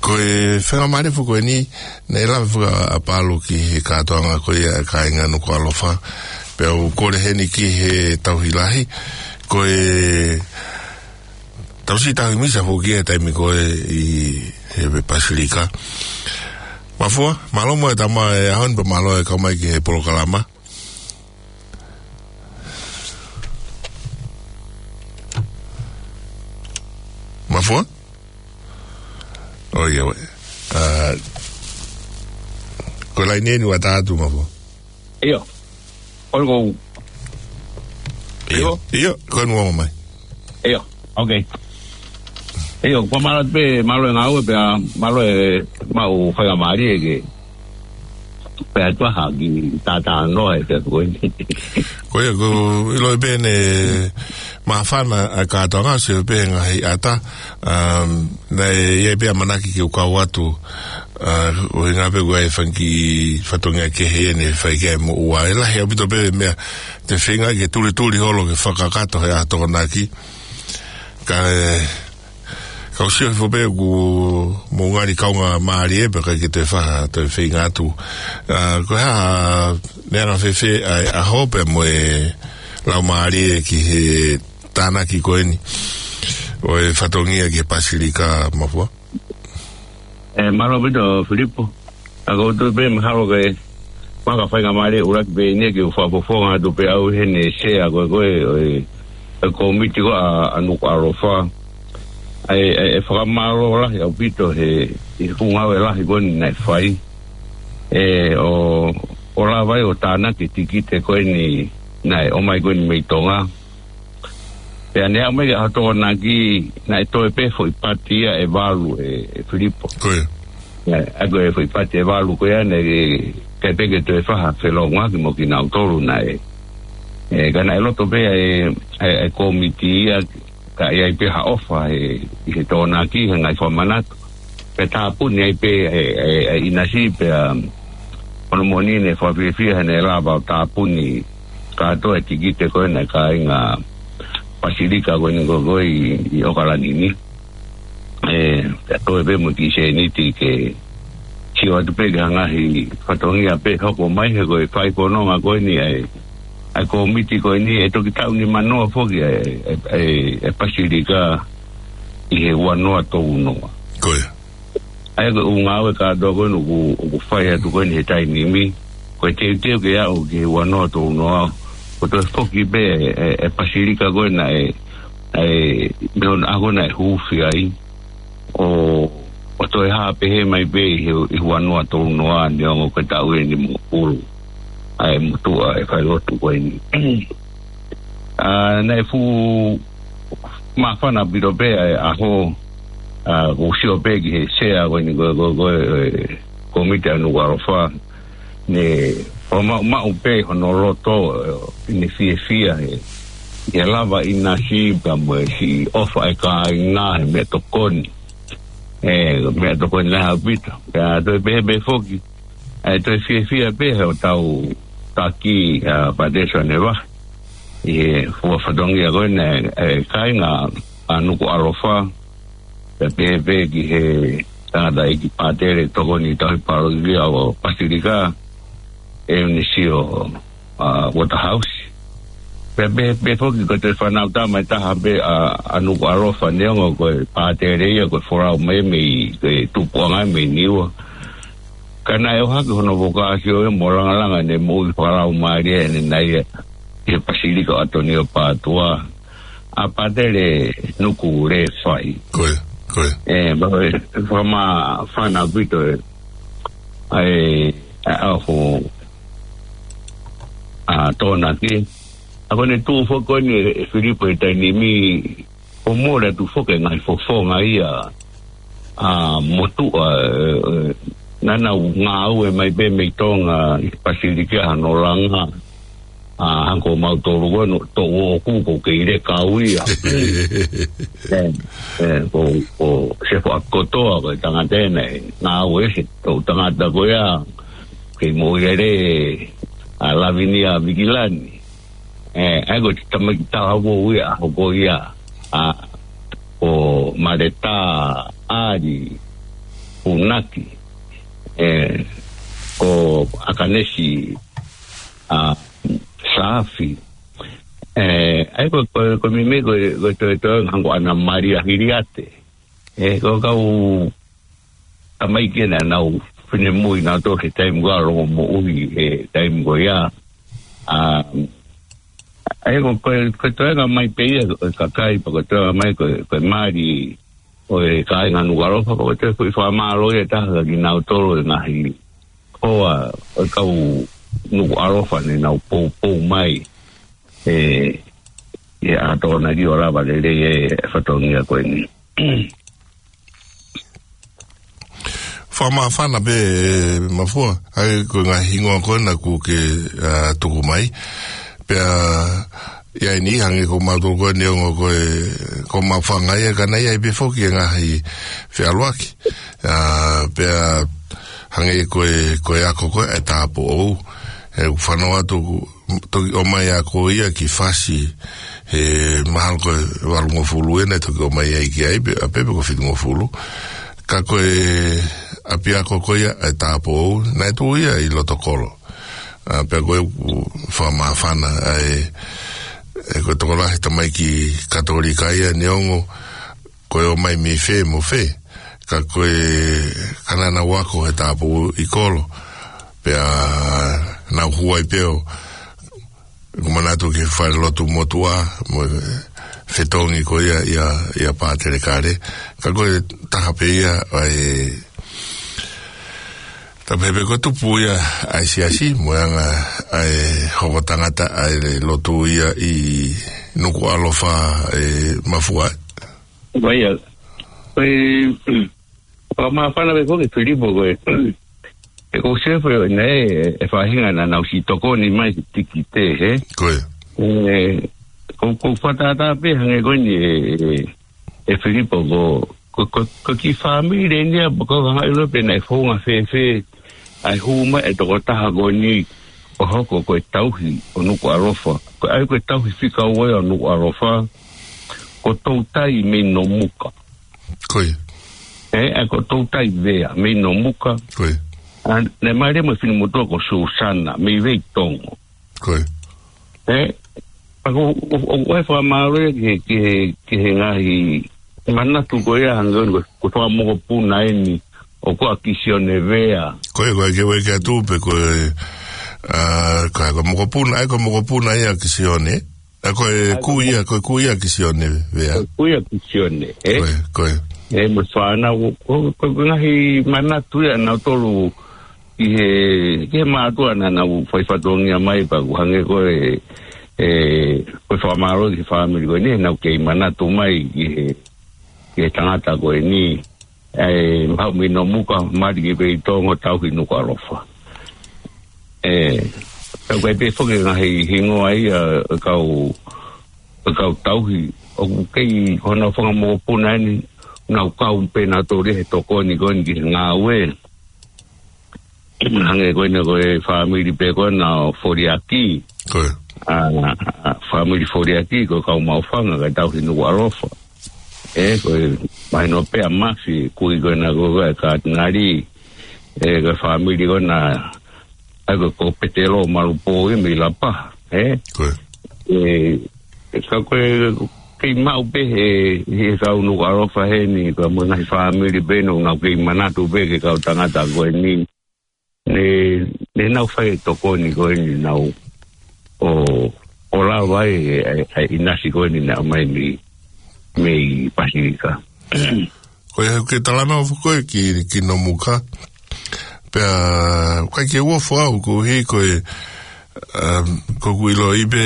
Ko e faingamālie foki ko eni, naʻe lave foki ʻa Palu ki he kātoanga ko ia e kāinga Nukuʻalofa. Pea ʻoku kole heni ki he tauhi lahi. Ko e tau siʻi tauhi misa foki he taimi ko ē ʻi he Pasilika. Mafua, mālō mo e tama e ʻaho ni pea mālō e kau mai ki he polokalama. Mafua? ʻOiauē. ʻA, ko e laine eni ʻoku ʻatā atu, Mafua. ʻIo. Ko e ko. ʻIo. ʻIo? ʻIo, ko e nuo mai. ʻIo, okay. ʻIo, ko mālō pē, mālō e ngāue pea, mālō e maʻu faingamālie ke pea tuaha ki tātānoa e pea ko eni. Ko ia, ʻoku ou ʻilo pē ne māfana ʻa e kātoanga, sio pē ngaahi ʻata, um, naʻe ʻi ai pē ʻamanaki ke u kau atu, ʻa, ʻuhinga pē ʻoku ʻi ai e fanga kiʻi fatongia kehe ʻe ne fai ki ai mo ua. ʻE lahi ʻaupito pē meʻa te u feinga ke tulituli holo ke fakakakato he ʻaho Tokonaki. Ka, ē, kau sio hifo pē ʻoku mou ngali kaungāmālie pē ʻikai ke toe fai ha toe feinga atu. ʻA, ko e hā, meʻa anga fēfē ʻa e ʻaho pea mo e laumālie ki he tānaki ko eni ʻo e fatongia ki he Pasilika, Mafua? ʻE, mālō ʻaupito, Filipo. ʻA, ʻoku ou tui pē mahalo ke, mahalo ko e faingamālie ʻuluaki pē eni ke u fakafofonga atu pē au heni e sea ko ē ko ē ʻo e, e kōmiti ko ē ʻa, ʻa Nukuʻalofa. ʻA e, ʻa e, ʻe fakamālō lahi ʻaupito he, ʻi he ngāue lahi ko eni naʻe fai. ʻE, ʻo, ʻo lava ai ʻo tānaki e tikite ko eni naʻe ʻomai ko eni mei Tonga. Pea ne aʻu mai ki he ʻaho Tokonaki, naʻe toe pē foʻi pati ia ʻe valu ʻe, ʻe Filipo. Ko ia. ʻE, ʻa ko e foʻi pati ʻe valu ko ia naʻe ʻikai pē ke toe fai ha felōngoaki mo kinautolu naʻe. ʻE, ka naʻe loto pē ʻa e, ʻa e, ʻa e kōmiti ia, ka ʻi ai pē ha ʻofa ʻe, ʻi he Tokonaki, he ngaahi fakamanatu. Pea tāpuni ai pē ʻe, ʻe, ʻe ʻinasi pea, um, ʻo ne moʻoni ne fakafiefia he ne lava ʻo tāpuni kātoa e tikite ko ē naʻe kāinga Pasilika ko eni ko ē ko ē ʻi, ʻi ʻOkalani ni. ʻE, pea toe pē mo e kiʻi sēniti ke sio atu pē ki he ngaahi fatongia pē hoko mai he ko e fai fononga ko eni ʻa e, ʻa e kōmiti ko eni ʻe toki taʻu nimanoa foki ʻa e, ʻa e, ʻa e, ʻa e Pasilika ʻi he ua noa tolu noa. Ko ia. ʻA ia ko e ʻū ngāue kātoa ko eni ʻoku, ʻoku fai atu ko eni he taimi ni. Ko e teuteu ke aʻu ki he ua noa tolu noa. ʻO toe foki pē ʻe, ʻe, ʻe Pasilika ko ē naʻe, ʻe, mei hono ʻaho naʻe huufi ai. ʻO, ʻo toe hā pehē mai pē ʻi he, ʻi he ua noa tolu noa neongo ko e taʻu eni mo pulu. ʻA e motuʻa e failotu ko eni. ʻA, naʻe fuʻu māfana ʻaupito pē ʻa e ʻaho, ʻa, ʻoku ou sio pē ki he sea ko eni ko, ko, ko, e, kōmiti ʻa Nukuʻalofa, ne ʻo maʻumaʻu pē hono loto, ʻene fiefia he, he lava ʻinasi pea mo e siʻi ʻofa ʻa e kāinga he meʻatokoni. ʻE, meʻatokoni lahi ʻaupito. Pea toe pehē pē foki, ʻe toe fiefia pē he ʻoku tau taki ʻa Pātele Soane Vahe ʻi he fua fatongia ko ena ʻa e kāinga ʻa Nukuʻalofa. Pea pehē pē ki he tangataʻeiki pātele tokoni tauhi pālokia ʻo Pasilika, ʻEunisio, ʻa, Waterhouse. Pea pehē pē foki ko e toe fānau tama ʻe taha pē ʻa, ʻa Nukuʻalofa, neongo ko e pātele ia, ko e folau mai mei, ko e tupuʻanga mei Niua. Ka naʻe ʻohake hono vokāsio ia mo langalanga ʻene moʻui fakalaumālie ʻanenai ia ʻi he Pasilika ʻo ʻAtonio Pātua, ʻa Pātele Nuku Lēfai. Ko ia, ko ia. ʻE, ma, ʻe, fakamāfana ʻaupito ʻe, ʻa e, ʻa, ʻa ho, ʻa, Tōnaki. ʻA ko ʻene tuʻu foki ko eni ʻe, ʻe Filipo he taimi ni, ʻo mole atu foki e ngaahi fofonga ia, ʻa, motuʻa, ʻe, ʻe, naʻa nau ngāue mai pē mei Tonga ʻi Pasilika hano langa, ʻa, hangē ko mautolu ko eni, toʻu ʻoku ʻoku kei lele kau ia. ʻE, ʻe, ko, ko Sefo ʻAkikotoa ko e tangata ena ʻe ngāue he toʻu tangata ko ia, kei moʻui lele, ʻa Lavinia Vikilani. ʻE, ʻa ia ko e tamaiki talavou ia, hoko ia, ʻa, ko Maleta ʻAli Funaki, ʻe, ko ʻAkanesi, ʻa, Saafi. ʻE, ʻa ia ko, ko, ko e meimei ko, ko e toetoe hangē ko ʻAna Malia Hiliate. ʻE, ko e kau tamaiki ena naʻa nau finemui nautolu he taimi ko ia, longomoʻui he taimi ko ia. ʻA, ʻa ia ko, ko, ko e toenga mai pē ia ʻo e kakai, pea ko e toenga mai ko, ko e mali ʻo e kāinga Nukuʻalofa, pea ko e toe foʻi fakamālō ia ʻe taha kia kinautolu e ngaahi hoa ʻo e kau Nukuʻalofa ne nau poupou mai ʻi, ʻi he ʻaho Tōnaki ʻo lava lelei e fatongia ko eni. Fakamāfana pē, ʻe Mafua, ʻa ia ko e ngaahi hingoa ko ena kuo ke, ʻa, tuku mai. Pea ʻi ai ni hangē ko mautolu ko eni, neongo ko e, ko Mafanga ia, ka naʻe ʻi ai pē foki e ngaahi feʻaluʻaki. ʻA, pea hangē ko e, ko e ako ko ē ʻa e tāupoʻou. ʻE, ʻoku fanongo atu, toki ʻomai ʻa ko ia ki Fasi, he mahalo ko e valungofulu ʻena ʻe toki ʻomai ai ki ai, pe, ʻa pē pe ko e fitungofulu. Ka ko e ʻapiako ko ia ʻa e tāupoʻou, naʻe tuʻu ia ʻi Lotokolo. ʻA, pea ko e ʻoku fakamāfana, ʻa e, ʻe ko e tokolahi tamaiki Katolika ia, neongo ko e ō mai mei fē mo fē, ka ko e, ka naʻa nau ako he tāupoʻou ʻi kolo, pea nau hū ai pē ʻo, ʻoku manatu ki he falelotu motuʻa, mo e fetongi ko ia, ʻia, ʻia Pātele Kale, ka ko e taha pē ia ʻa e, tapu he pē ko e tupu ia ʻa e siasi, mo e anga ʻa e hoko tangata ʻa e lotu ia ʻi Nukuʻalofa, ʻe Mafua. Vai ia, ʻe, fakamāfana pē foki Filipo ko e, ʻe ko Sefo ʻe, ʻe faʻahinga naʻa nau siʻi tokoni mai he tikite, hē? Ko ia. ʻE, ko, ko e fakatātā pē hangē ko eni ʻe, ʻe, ʻe Filipo ko, ko, ko, ko e kiʻi fāmili eni ia, ko e hanga ʻilo pē naʻe founga fēfē ʻa e hū mai e tokotaha ko eni ʻo hoko ko e tauhi ʻo Nukuʻalofa. Ko e ʻai ko e tauhi fika ua ia ʻo Nukuʻalofa, ko Toutai mei Nomuka. Ko ia. ʻE, ʻa ko Toutai Vea mei Nomuka. Ko ia. ʻA, naʻe mālie mo e finemotuʻa ko Susana mei Veitongo. Ko ia. ʻE, ʻa ko, ʻo, ʻo, ʻo e fakamālō ia ki he, ki he, ki he ngaahi manatu ko ia hangē ko, ko e fanga mokopuna eni ʻoku ʻa Kisione Vea. Ko ia, ko e ke weke atu pē ko e, ʻa, ko e, ko e mokopuna, ʻa ia ko e mokopuna ia ʻa Kisione. ʻA ia ko e kui ia, ko e kui ia ʻa Kisione Vea. Ko e kui ʻa Kisione, ē? Ko ia, ko ia. ʻE, mo e fānau, ko, ko, ko e ngaahi manatu ia nautolu ki he, ki he mātuʻa naʻa nau fai fatongia mai pea ʻoku hangē ko e, ʻe, ko e fakamālō ki he fāmili ko eni, nau kei manatu mai ki he, ki he tangata ko eni. ʻE, maʻu mei Nomuka, mali ki Veitongo, tauhi Nukuʻalofa. ʻE, ʻOku ʻi ai pē foki e ngaahi hingoa ia ʻo e kau, ʻo e kau tauhi. ʻOku kei, ko honau fanga mokopuna eni, nau kau pē nautolu ia he tokoni ko eni ki he ngāue. Hangē ko ena ko e fāmili pē ko ena ʻo Foliaki. Ko ia. ʻA, ʻa, fāmili Foliaki ko e kau maʻufanga kae tauhi Nukuʻalofa. ʻE, ko e mahino pē ʻa Mafi, kui ko ena ko e katinali. ʻE, ko e fāmili ko ena, ʻa ia ko, ko Petelo Malupō ia mei Lapaha, ʻe? Ko ia. ʻE, ʻe, ka ko e, kei maʻu pē he, he kau Nukuʻalofa heni, ko e mo e ngaahi fāmili pē ena, nau kei manatu pē ki he kau tangata ko eni. Ne, ne nau fai e tokoni ko eni nau ʻo, ʻo lava ai e, e, e ʻinasi ko eni naʻe ʻomai mei, mei Pasifika. Ko ia ke talanoa foki ko ē ki, ki Nomuka. Pea, ʻikai ke u ofo au koeʻuhi ko e, um, ko ʻeku ʻiloʻi pē,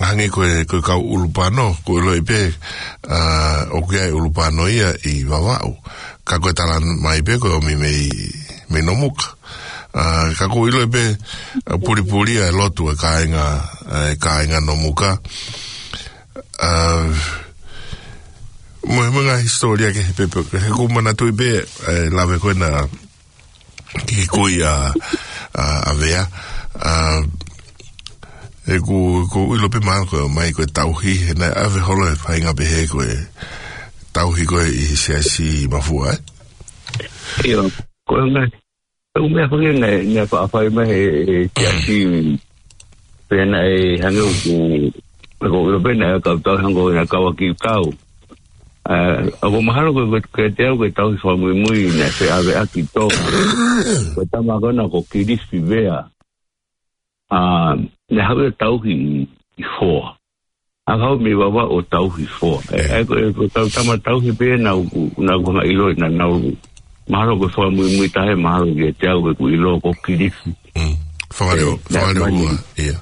hangē ko e, ko e kau ʻulupano, ʻoku ʻiloʻi pē, uh, ʻoku ʻi ai ʻulupano ia ʻi Vavaʻu. Ka ko e tala mai pē ko e ʻomi mei, mei Nomuka. Uh, ka ʻoku ʻiloʻi pē, uh, pulipuli ʻa e lotu ʻa e kāinga, ʻa e kāinga Nomuka. Uh, mo e, mo e ngaahi hisitōlia kehe pē, pē, he ʻoku ou manatuʻi pē, ʻa e lave ko ena ki he kui ʻa, ʻa, ʻa Vea. Uh, ʻeku, ʻeku ʻilo pē mahalo ko e ʻomai ko e tauhi, he naʻe ʻave holo e faʻahinga pehē ko e tauhi ko ē ʻi he siasi ʻi Mafua, ʻe? ʻIo, ko e ngaahi, ʻeku meʻa foki naʻe, naʻe faʻa fai mai he, he siasi. Pea naʻe hangē ʻoku, ʻoku ʻilo pē naʻe kau tauhi hangē ko e naʻe kau ʻaki kau. ʻA, ʻoku mahalo ko e, ko e, ko e te au ko e tauhi fakamuimui naʻe feʻaveʻaki tō. Ko e tama ko ena ko Kilifi Vea. ʻA, naʻe haʻu ia ʻo tauhi ʻi, ʻi Foa. ʻA, haʻu mei Vavaʻu ʻo tauhi Foa. ʻE, ʻe, ko e, ko e tau tama tauhi pē naʻa ku, naʻa ku hanga ʻiloʻi naʻa nau, mahalo ko e fakamuimui taha ia mahalo kiate au ʻeku ʻilo ko Kilifi. Mm. Fangale ʻo, ʻe, fangale ʻo naʻe ua, ia.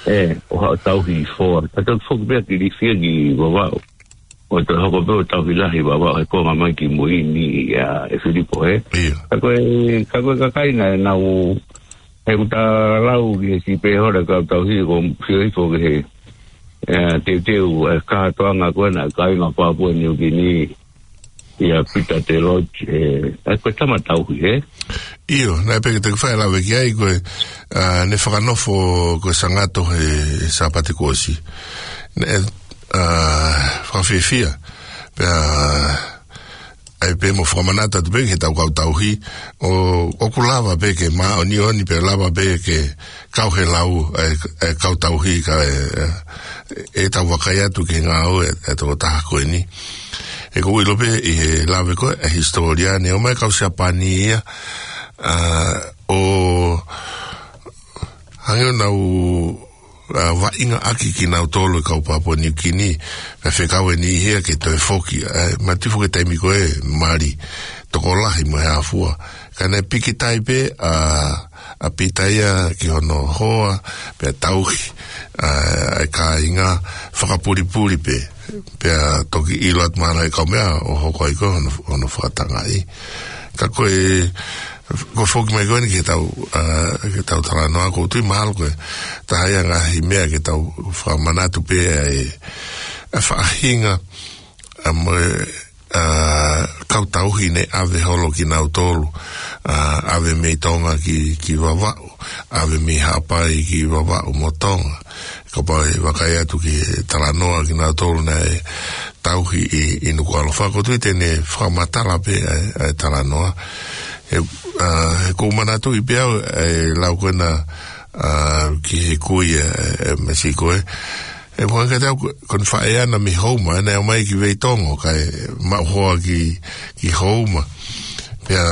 ʻE, ʻo haʻu ʻo tauhi ʻi Foa. Ka tau foki pē ʻa Kilifi ia ki Vavaʻu. ʻO toe hoko pē ʻo tauhi lahi Vavaʻu he konga mai ki mui ni ia ʻe Filipo, ʻe? Ia. Ka ko e, ka ko e kakai naʻa nau, he ʻoku ta lau ki he sipe hora kau tauhi ko sio hifo ki he, ʻe, teuteu, ʻe, kātoanga ko ena kāinga Papua Niukini, ia Pita Telote, ʻe, ʻe, ko e tama tauhi, ʻe? ʻIo, naʻe pehē ke te fai lave ki ai ko e, ʻa, ne fakanofo ko e Sangato he Sāpate kuo ʻosi. Ne, ʻa, fakafiefia. Pea, ʻai pē mo fakamanatu atu pē ki he tau kau tauhi, ʻo, ʻoku lava pē ke māʻoniʻoni pea lava pē ke kau he lau, ʻa e, ʻa e kau tauhi ka ʻe, ʻe, ʻe tau vakai atu ki he ngāue ʻa e, ʻa e tokotaha ko eni. ʻOku ou ʻilo pē ʻi he lave ko ē, ʻa e hisitōlia ne ʻomai kau Siapani ia, ʻa, ʻo hangē ʻo nau, ʻa, vaʻinga ʻaki kinautolu e kau Papua Niukini, pea fekau eni ia ke toe foki, ʻa, mati foki taimi ko ē mali, tokolahi mo e hā fua. Ka naʻe pikitai pē, ʻa, ʻa Pita ia ki hono hoa, pea tauhi, ʻa, ʻa e kāinga fakapulipuli pē, pea toki ʻilo atu mahalo ʻe he kau meʻa ʻo hoko ai ko hono, hono fakatangaʻi. Ka ko e, ko e foki mai ko eni ki he tau, ʻa, ki he tau talanoa ʻoku ou tui mahalo ko e taha ia ngaahi meʻa ke tau fakamanatu pē ʻa e, ʻa e faʻahinga, ʻa, mo e, ʻa, kau tauhi ne ʻave holo kinautolu, ʻa, ʻave mei Tonga ki, ki Vavaʻu, ʻave mei Haʻapai ki Vavaʻu mo Tonga. Kapau ʻe vakai atu ki he talanoa kinautolu naʻe tauhi ʻi, ʻi Nukuʻalofa, ʻoku ou tui te ne fakamatala pē ʻa e, ʻa e talanoa. He, ʻa, he ʻoku ou manatuʻi pē au ʻa e lau ko ena, ʻa, ki he kui ʻe, ʻe Mesiko ē. ʻE, ko e kiate au ko, ko ʻene faʻē ʻana mei Houma, ʻene ʻomai ki Veitongo, kae maʻu hoa ki, ki Houma. Pea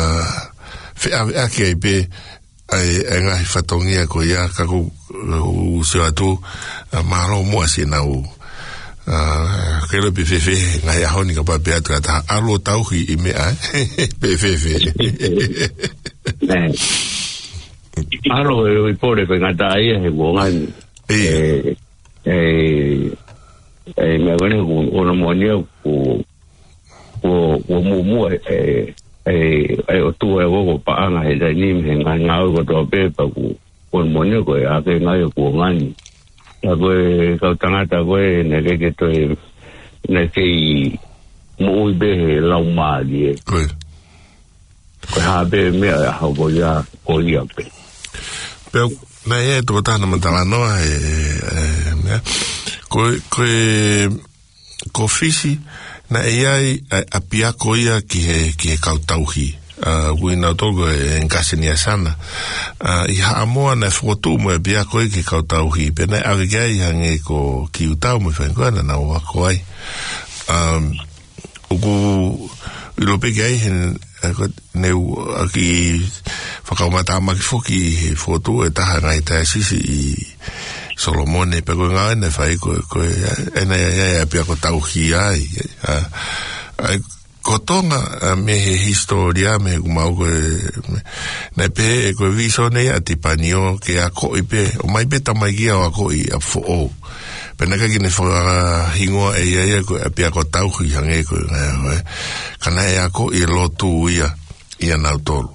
feʻaveʻaki ai pē, ʻa e, ʻa e ngaahi fatongia ko ia, ka ʻoku, ʻoku ou sio atu, ʻa, mālō muʻa siʻenau, ʻa, ke ʻilo pē fēfē, ngaahi ʻaho ni kapau pē atu ka ta ʻalu ʻo tauhi ʻi meʻa, ē? Pē fēfē. Nē. Mālō e ui pole pe ngata ia he kuonga ni. ʻIo. ʻE, ʻe, ʻe, meʻa ko eni ʻoku, ʻoku na moʻoni au ʻoku, ʻoku, ʻoku muʻomuʻa, ʻe, ʻe, ʻe ʻOtua ʻe ʻoku paʻanga he taimi ni he ngaahi ngāue kotoa pē pea ʻoku, Ko e moʻoni ko e ake ngai o kuo ngani. Ka ko e kau tangata ko ē naʻe ʻikai ke toe, naʻe kei moʻui pē he laumālie. Ko ia. Ko e hā pē meʻa ʻe ʻaho ko ia, ko ia pē. Pea, naʻe ʻi ai e tokotaha naʻa ma talanoa, e, e, e, meʻa. Ko e, ko e, ko Fisi, naʻe ʻi ai, ʻa, ʻapiako ia ki he, ki he kau tauhi. ʻA, ʻoku ʻi ai nautolu ko e Nkasi Niasana. ʻA, ʻi Haʻamoa naʻe fokotuʻu mo e ʻapiako ia ki he kau tauhi. Pea naʻe ʻave ki ai hangē ko Kiutau mo e faʻahinga ko ē naʻa nau ako ai. Um, ʻOku ʻilo pē ki ai he, e, ko e, ne u, ʻa, kiʻi fakaʻumaʻā tāmaki foki he fokotuʻu e taha ngaahi taiosisi ʻi Solomone, pea ko e ngāue naʻe fai ko e, ko e, e, naʻe, e, e, ʻapiako tauhi ai, ʻa, ʻa, ko Tonga, ʻa, mei he hisitōlia, mei he ʻoku mau ko e, me, naʻe pehē ko e vīsone ia ʻa Tipanio ke akoʻi pē, ʻomai pē tamaiki ia ʻo akoʻi ʻa foʻou. Pea naʻe ʻikai ke ne fakahingoa ʻe ia ia ko e ʻapiako tauhi hangē ko e, ko e, ka naʻe akoʻi e lotu ia, ʻia nautolu.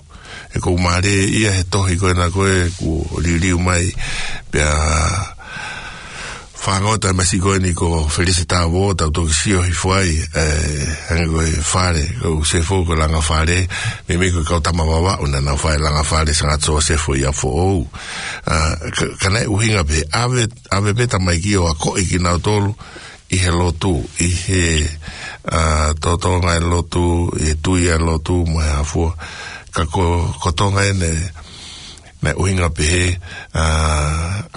ʻOku ou mālieʻia he tohi ko ena ko ē kuo liliu mai, pea fāngota masi ko eni ko Felise Tāuō, tau toki sio hifo ai, e, hangē ko e fale, ko Sefo ko Langafale, meimei ko e kau tama Vavaʻu naʻa nau fai Langafale Sangata Sosefo ʻia foʻou. ʻA, ka, ka naʻe ʻuhinga pē, ʻave, ʻave pē tamaiki ʻo akoʻi kinautolu ʻi he lotu, ʻi he, ʻa, totonga e lotu, ʻi he tui e lotu, mo e hā fua. Ka ko, ko Tonga eni, naʻe ʻuhinga pehē, ʻa,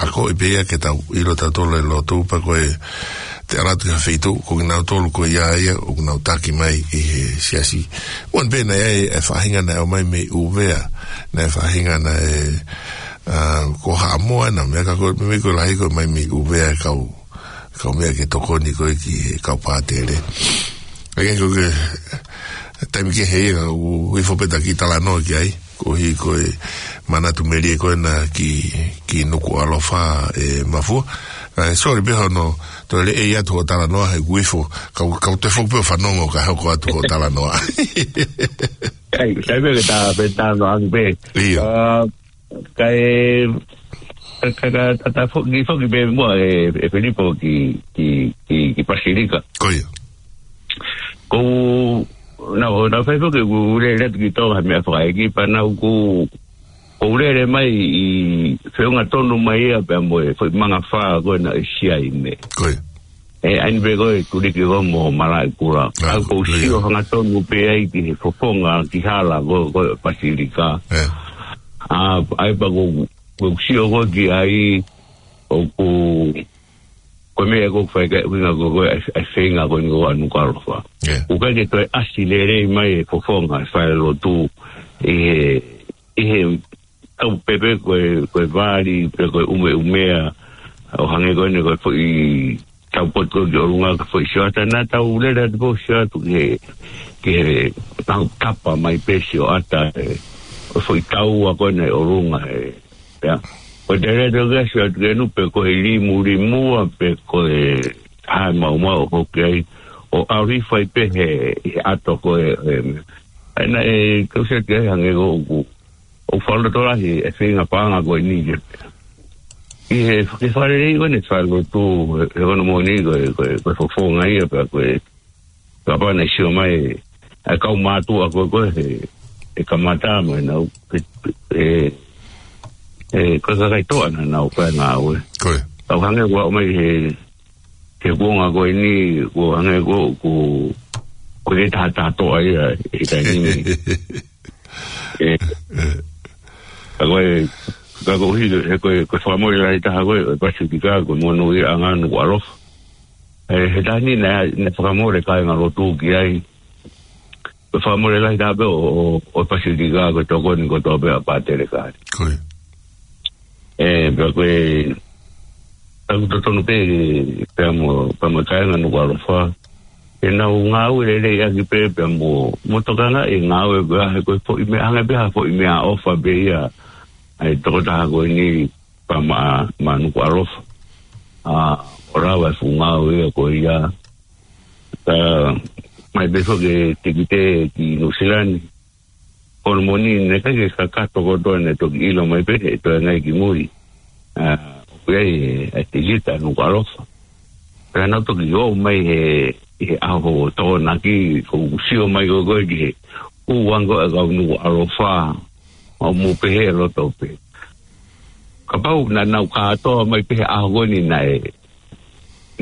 akoʻi pē ia ke tau ʻilo tautolu e lotu, pea ko e, te ala atu ki ha feituʻu, ko kinautolu ko ia ia, ʻoku nau taki mai ʻi he siasi. ʻOku ʻi ai pē naʻe ʻi ai e faʻahinga naʻe ʻomai mei ʻUvea, naʻe faʻahinga naʻe, ʻa, ko Haʻamoa naʻe meʻa ka ko e, meimei ko e lahi ko e ʻomai mei ʻUvea e kau, kau meʻa ke tokoni ko ē ki he kau pātele. ʻA ia ko e, taimi kehe ia, ʻoku hifo pē ʻeta kiʻi talanoa ki ai, koeʻuhi ko e manatu melie ko ena ki, ki Nukuʻalofa ē Mafua. ʻA, sorry pē hono, toe leʻei atu hoʻo talanoa he ʻoku hifo, kau, kau toe foki pē ʻo fanongo kae hoko atu hoʻo talanoa. ʻAi, sai pē ke ta, pē talanoa ange pē. ʻIo. ʻA, Kae, ka, ka, ka, ta, ta fo-, kiʻi foki pē muʻa ē, ē Filipo ki, ki, ki, ki Pasilika. Ko ia. Ko, naʻa, naʻa fai foki ʻeku lele atu ki Tonga he meʻa fakaʻeiki pea naʻa ku, ko u lele mai ʻi feʻunga tonu mai ia pea mo e foʻi mangafā ko ena ʻi Siaime. Ko ia. ʻE, ʻa eni pē ko e tuliki ko mo Malaʻekula. ʻA, ʻoku ou sio hangatonu pē ai ki he fofonga ki hala ko, ko Pasilika. ʻE. ʻA, ʻa ia pea ko, ko u sio ko ki ai ʻoku, ko e meʻa ko u fai ka, ʻuhinga ko, ko e, ʻa e feinga ko eni ko ʻa Nukuʻalofa. ʻE. ʻOku ʻikai ke toe ʻasi lelei mai e fofonga, fai lotu ʻi he, ʻi he tau pē pē ko e, ko e vali, pe ko e ʻumeʻumea, ʻo hangē ko eni ko e foʻi tau potu ko ki ʻolunga ka foʻi sioʻata naʻa tau lele atu pē ʻo sio atu ki he, ki he tau tapa mai pē sioʻata ē, ko e foʻi tau ʻa ko ena ʻi ʻolunga ē, ia. Ko e te lele atu ki he sio atu ki ʻenu pe ko e limulimua pe ko e hā e maumau ʻoku hoko ai, ʻo ʻalu hifo ai pē he, he ʻato ko e, ē, ʻa ia naʻe, kau sio atu ki ai hangē ko ʻoku ʻoku fakalotolahi e feinga paʻanga ko eni ke. ʻI he, ke fakalelei ko eni fai lotu, he, he ko hono moʻoni ko e, ko e, ko e fofonga ia pea ko e, kapau naʻe sio mai, ʻa e kau mātuʻa ko e, ko e, he, he kamata mo ʻenau, he, he, he, ko e kakai toʻa naʻa nau fai ngāue. Ko ia. Kau hangē ʻoku ʻomai he, he kuonga ko eni, ʻoku hangē ko, ko, ko e taha taha toʻa ia, he taimi ni. ʻE, ka ko e, ka ko hi, he ko e, ko e fakamole lahi taha ko e, ʻo e Pasifika, ko e monūʻiaʻanga Nukuʻalofa. ʻE, he taimi ni naʻe, naʻe fakamole kāinga lotu ki ai. Ko e fakamole lahi taha pē ʻo, ʻo, ʻo e Pasifika, ko e tokoni kotoa pē ʻa Pātele Kali. Ko ia. ʻE, pea ko e, ʻoku totonu pē, pea mo, pea mo e kāinga Nukuʻalofa. ʻE nau ngāue lelei ʻaki pē, pea mo, mo tokangaʻi e ngāue ko ia, he ko e foʻi meʻa, hangē pē ha foʻi meʻaʻofa pē ia, ʻa e tokotaha ko eni pea maʻa, maʻa Nukuʻalofa. ʻA, ʻo lava e fuʻu ngāue ia ko ia. Ka, mai pē foki e tikite ki Nuʻusila ni. Ko hono moʻoni naʻe ʻikai ke kakato kotoa naʻe toki ʻilo mai pē he toe ngai ki mui. ʻA, ʻoku ʻi ai e, e tikite ʻa Nukuʻalofa. Pea nau toki ō mai he, he ʻaho Tokonaki, ʻoku sio mai ko ē ki he ʻū ango ʻa e kau Nukuʻalofa, ʻo mou pehē ʻe loto pē. Kapau naʻa nau kātoa mai pē he ʻaho ko eni naʻe,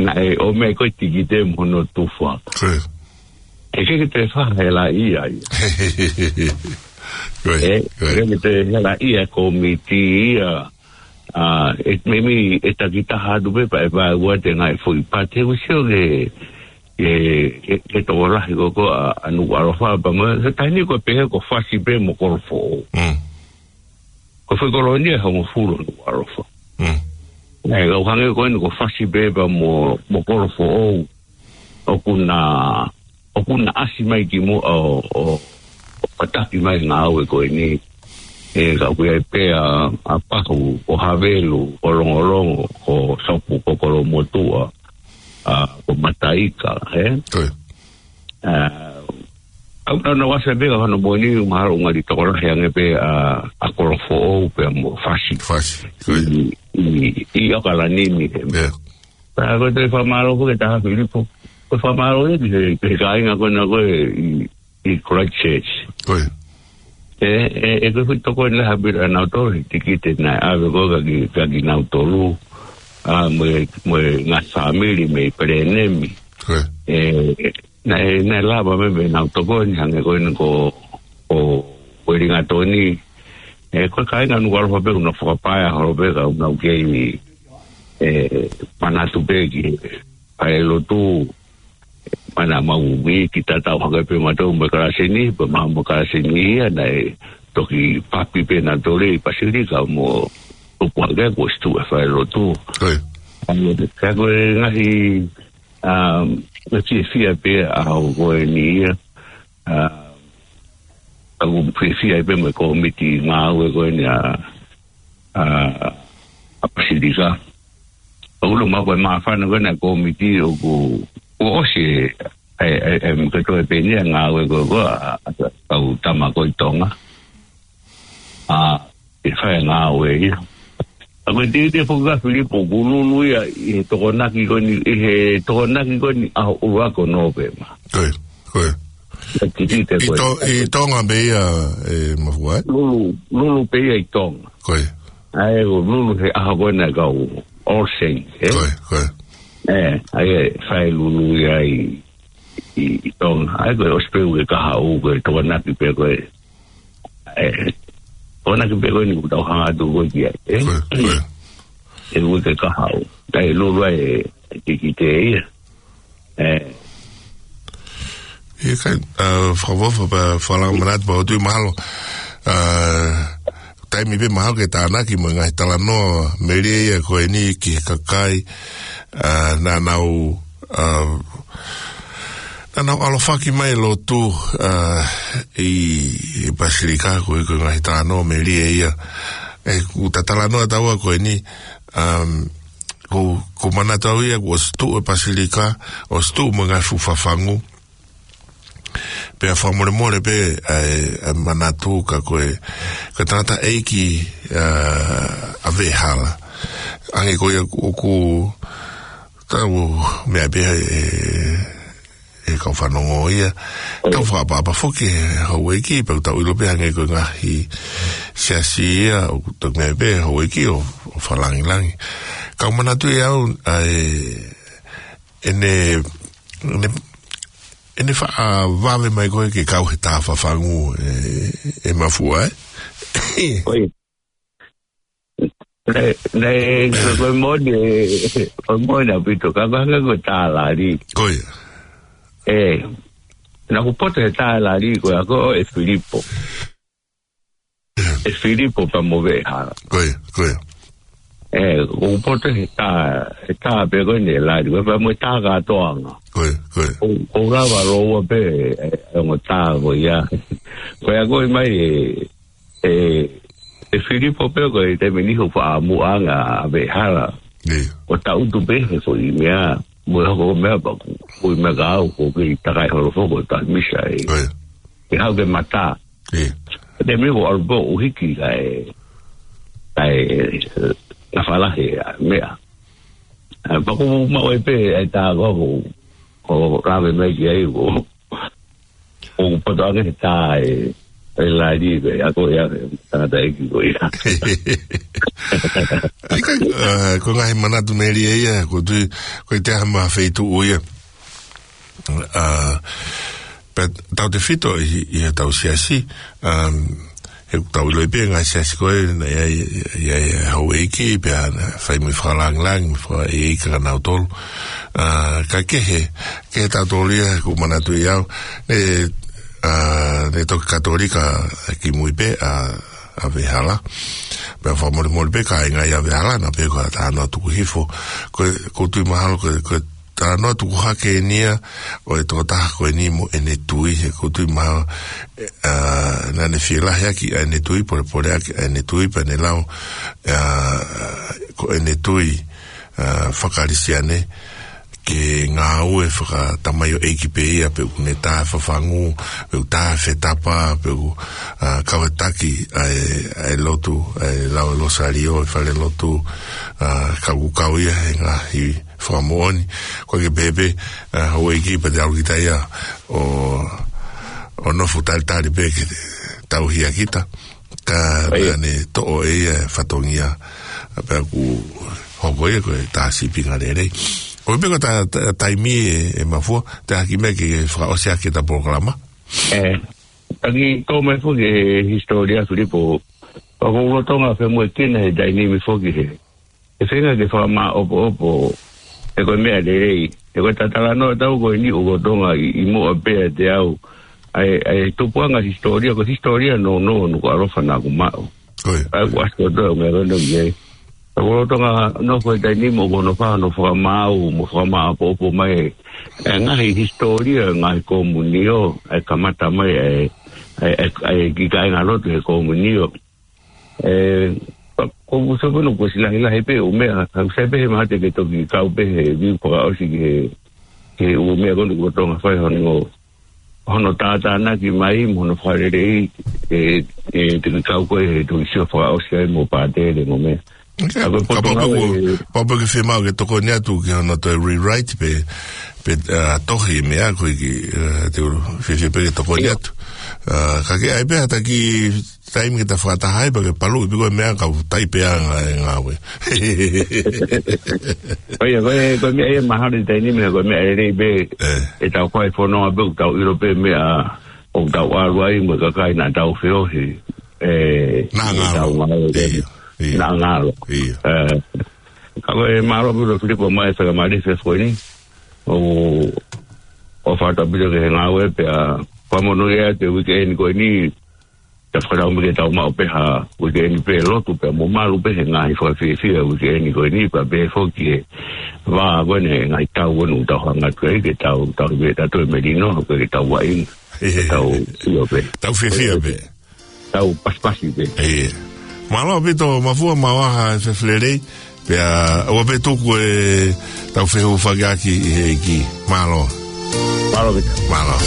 naʻe ʻomai ko ē tikite mo hono tufa. Ko ia. ʻE ʻikai ke toe fakahelaʻia ia. Ko ia, ʻE, ko ia. ʻIkai ke toe helaʻia e kōmiti ia. ʻA, ʻe, meimei ʻe takitaha atu pē pea ʻe vaeua atu e ngaahi foʻi pate ʻoku sio ki he, ki he, ki he, ki he tokolahi ko ē ʻa, ʻa Nukuʻalofa pea mo, he taimi ni ko e pehē ko Fasi pē mo Kolofoʻou. Mm. Ko e foʻi kolonia ʻe hongofulu ʻa Nukuʻalofa. Mm. ʻE, kau hangē ko eni ko Fasi pē pea mo, mo Kolofoʻou. ʻOku na, ʻoku na ʻasi mai ki muʻa ʻo, ʻo, ʻo kātaki mai e ngāue ko eni. ʻE, ka ʻoku ʻi ai pē ʻa, ʻa Pahu, ko Havelu, ko Longolongo, ko Sopu, ko Kolomotuʻa, ʻa, ko Mataika, ē? Ko ia. ʻA, ʻoku nau ʻasi pē ka hono moʻoni mahalo ʻoku ngali tokolahi ange pē ʻa, ʻa Kolofoʻou pea mo Fasi. Fasi, ko ia. ʻI, ʻi, ʻi ʻAokalani ni, ē. Ia. Pea ko e toe fakamālō foki ki he Taha Filipo. Ko e fakamālō ia ki he, ki he kāinga ko ena ko ē ʻi, ʻi Christchurch. Ko ia. ʻE, ʻe, ʻe ko e fuʻu tokoni lahi ʻaupito ʻanautolu he tikite naʻe ʻave ko ē kia ki, kia kinautolu. ʻA, mo e, mo e ngaahi fāmili mei Pelenemi. Ko ia. ʻE, naʻe, naʻe lava mai mei heʻenau tokoni hangē ko eni ko, ko Uelingatoni. ʻE, ko e kāinga Nukuʻalofa pē ʻoku nau fakapaea holo pē ka ʻoku nau kei, ʻe, manatu pē ki he falelotu. Mana mau mi ki tatau hake pē mautolu mo e kalasi ni, pea mau mo e kalasi ni ia naʻe toki papi pē nautolu ʻi Pasilika mo tupu hake kuo ʻosi tuʻu e falelotu. Ko ia. ʻA ia, ka ko e ngaahi, ʻa, ngaahi fiefia pē ʻaho ko eni ia, ʻa, ʻoku ou fiefia ai pē mo e kōmiti ngāue ko eni ʻa, ʻa, ʻa Pasilika. ʻOku ʻilo mai ko e māfana ko ena e kōmiti ʻoku, ʻoku ʻosi e, e, e, e, mo e kei toe pē eni e ngāue ko ē ʻa, ʻa, ʻa e kau tama ko ē ʻi Tonga. ʻA, ʻe fai e ngāue ia. ʻA, ko e tikite foki ʻa Filipo, ʻoku lulu ia ʻi he Tokonaki ko eni, ʻi he Tokonaki ko eni ʻaho ʻuluaki ʻo Nōvema. Ko ia, ko ia. ʻA, tikite ʻI, ʻi ko ē. To-, ʻi Tonga pē ia, ʻe Mafua, ē? Lulu, lulu pē ia ʻi Tonga. Ko ia. ʻA ia, ʻoku lulu he ʻaho ko ena e kau All Saints, ē? Ko ia, ko ia. ʻE, ʻa ia, fai lulu ia ʻi, ʻi, ʻi Tonga. ʻA ia, ko e ʻosi pē uike kahaʻu, ko e Tokonaki pē ko ē. ʻE, Tokonaki pē ko eni ʻoku tau hanga atu ko ē ki ai, ē? Ko ia, ko ia. ʻE uike kahaʻu. ʻA ia, lulu ai e tikite ia. ʻE. ʻIkai, ʻa, fakaʻofoʻofa pea fakalanga manatu pea ʻoku ou tui mahalo, ʻa, taimi pē mahalo ke tānaki mo e ngaahi talanoa melie ia ko eni ki he kakai, ʻa, naʻa nau, ʻa, naʻa nau ʻalofaki mai e lotu, ʻa, ʻi, ʻi Pasilika ko e, ko e ngaahi talanoa melie ia. ʻE, ʻoku ta talanoa taua ko eni, ʻa, ʻoku, ʻoku ou manatu au ia, kuo ʻosi tuʻu e Pasilika, ʻosi tuʻu mo e ngaahi fuʻu fafangu. Pea fakamolemole pē, ʻa e, ʻa e manatu ka ko e, ka tangataʻeiki, ʻa, ʻa Veʻehala. Hangē ko ia ʻoku, ʻoku tau meʻa pē ʻe, ʻe kau fanongo ia. ʻOi. Tau fakaʻapaʻapa foki he houʻeiki, pea ʻoku tau ʻilo pē hangē ko e ngaahi siasi ia, ʻoku tau meʻa pē houʻeiki ʻo, ʻo fakalāngilangi. Ka ʻoku ou manatu ʻe au, ʻa e, ʻene, ʻene, ʻene faʻa vave mai ko ē ke kau he tā fafangu ʻe, ʻe Mafua, ē? ʻOi. Naʻe, naʻe, ko, ko e moʻoni, ʻe, ko e moʻoni ʻaupito, ka ko e hangē ko e tā lali. Ko ia. ʻE, naʻa ku poto he tā lali, ko ia ko ē ʻe Filipo. ʻE Filipo pea mo Veʻehala. Ko ia, ko ia. ʻE, ʻoku ou poto he tā, he tā pē ko eni ʻe lali, ko ia pea mo e tā kātoanga. Ko ia, ko ia. ʻOku, ʻoku lava loua pē, ʻe, ʻe ongo tā ko ia. Ko ia ko ē mai ʻe, ʻe, ʻe Filipo pē ko e taimi ni ʻoku faʻa muʻa ange ʻa Veʻehala. ʻIo. ʻO tangutu pē he foʻi meʻa, mo e hoko meʻa pea ko e foʻi meʻa ka au, ʻoku kei takai holo foki ʻo tā misa ē. Ko ia. ʻE haʻu ke mata. ʻIo. Te me ko ʻalu pē ʻo hiki kae, kae, ʻe, na falahe ʻa e meʻa. ʻE, pea ʻoku maʻu ai pē ʻa e tā ko, ko lave mai ki ai ko, ʻoku poto ange he tā ʻe, ʻe lali pē, ʻa ko ia, tangataʻeiki ko ia. ʻIkai, ʻe, ko e ngaahi manatu melie ia, ʻoku ou tui, ko e taha mei he feituʻu ia. ʻA, pea tautefito ʻi, ʻi heʻetau siasi, um, he ʻoku tau ʻiloʻi pē ngaahi siasi ko ē, naʻe ʻi ai, ʻi ai e houʻeiki, pea naʻe fai mo e fakalāngilangi, mo e fakaʻeiʻeiki kia nautolu. ʻA, ka kehe, kehe tautolu ia, ʻoku ou manatuʻi au, ne, ʻa, ne toki Katolika kimui pē, ʻa, ʻa Vehala. Pea fakamolemole pē kāinga ʻi ʻa Vehala, naʻa pē ko e talanoa tuku hifo. Ko, ʻoku ou tui mahalo ko, ko e talanoa tuku hake eni ia ʻo e tokotaha ko eni mo ʻene tui, he ʻoku ou tui mahalo, ʻe, ʻa, naʻa ne fielahi ʻaki ʻa ʻene tui, polepole ʻaki ʻa ʻene tui, pea ne lau, ʻa, ko ʻene tui, ʻa, faka-Kalisitiane, ke ngāue fakatamaioʻeiki pē ia, pe ʻoku ne tā fafangu, pe ʻoku tā fetapa, pe ʻoku, ʻa, kau e taki ʻa e, ʻa e lotu, ʻa e lau e Losalio, ʻi falelotu, ʻa, ka ʻoku kau ia he ngaahi fakamoʻoni. ʻOku ʻikai ke pehē pē, ʻa, houʻeiki pea te ʻalu kita ia ʻo, ʻo nofo talitali pē ke tauhi ʻa kita. Ka ʻIo. naʻa ne toʻo ʻe ia e fatongia, pea ʻoku hoko ia ko e tā sīpinga lelei. ʻOku pē ko e tā, tā, taimi ē, ē Mafua, te u hiki mai ke fakaʻosi ʻaki ʻeta polokalama. ʻE, taki tō mai foki he hisitōlia Filipo, ʻoku ou lolotonga femoʻuekina he taimi ni foki he ʻe feinga ke fakamāʻopoʻopo, ʻe ko e meʻa lelei. ʻE ko e talanoa ʻetau ko eni ʻoku lolotonga ʻi, ʻi muʻa pē ʻiate au. ʻA e, ʻa e tupuʻanga hisitōlia, ko e hisitōlia nounou, ʻoku ʻalofa naʻa ku maʻu. ʻOi. ʻA e kuasi kotoa ʻo e meʻa ko eni ʻoku ʻi ai. ʻOku lolotonga nofo he taimi ni mo ʻoku nofo ʻo fakamaau, mo fakamāʻopoʻopo mai e ngaahi hisitōlia, ngaahi komunio, ʻa e kamata mai e, e, e, e kiʻi kāingalotu he komunio. ʻE, pea ʻoku ou sio pē ʻoku ʻosi lahilahi pē ʻū meʻa, ka ʻoku sai pē he mahalo te ke toki kau pē he view fakaʻosi ki he, ki he ʻū meʻa ko eni ʻoku lolotonga fai hono, hono tātānaki mai, mo hono fakalelei, ʻe, ʻe, te ke kau koe he toki sio fakaʻosi ai mo Pātele mo meʻa. ʻIkai, ʻa ko e ka poto pau pē ngāue ʻoku, pau pē ke fiemaʻu ke tokoni atu ki hono toe rewrite pē, pē, ʻa, tohi meʻa ko ē ki, ʻa, te u fiefia pē ke tokoni ʻIo. atu. ʻA, ka ke ʻai pē ha taki taimi ke ta fakataha ai, pea ke paluʻi pē ko e meʻa ka u taipe ʻa e ngā-, e ngāue. ʻOi, ko e, ko e meʻa ia mahalo ʻi he taimi ni meʻa, ko e meʻa lelei pē, ʻE. ʻetau fai fononga pē, ʻoku tau ʻilo pē meʻa, ʻoku tau ʻalu ai mo e kakai naʻa tau feohi. ʻE, Naʻa ngalo. tau ngalo, ʻIo, ʻio. naʻa ngalo. ʻIo. ʻE, ka ko e mālō pē ʻa Filipo mai e fakamālō he efiafi ko eni. ʻO, ʻo fakatapu pē ki he ngāue pea fakamonū ia he uike eni ko eni. Te u fakalau mai ke tau maʻu pē ha uike eni pē lotu pea mo malu pē he ngaahi fakafiefia uike eni ko eni pea pehē foki e vā ko eni ngaahi tau ko eni ʻoku tau hanga atu ai ke tau, tau pē tau toe melino, ke tau vaʻinga. Tau ʻio pē. Tau fiefia pē. Tau pasipasi pē. ʻIo. Mālō ʻaupito Mafua, maʻu ha efiafi lelei. Pea, ʻoua pē tuku ʻetau fehūfaki ʻaki ʻi he ʻEiki. Mālō. Mālō ʻaupito. Mālō.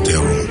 Te olo.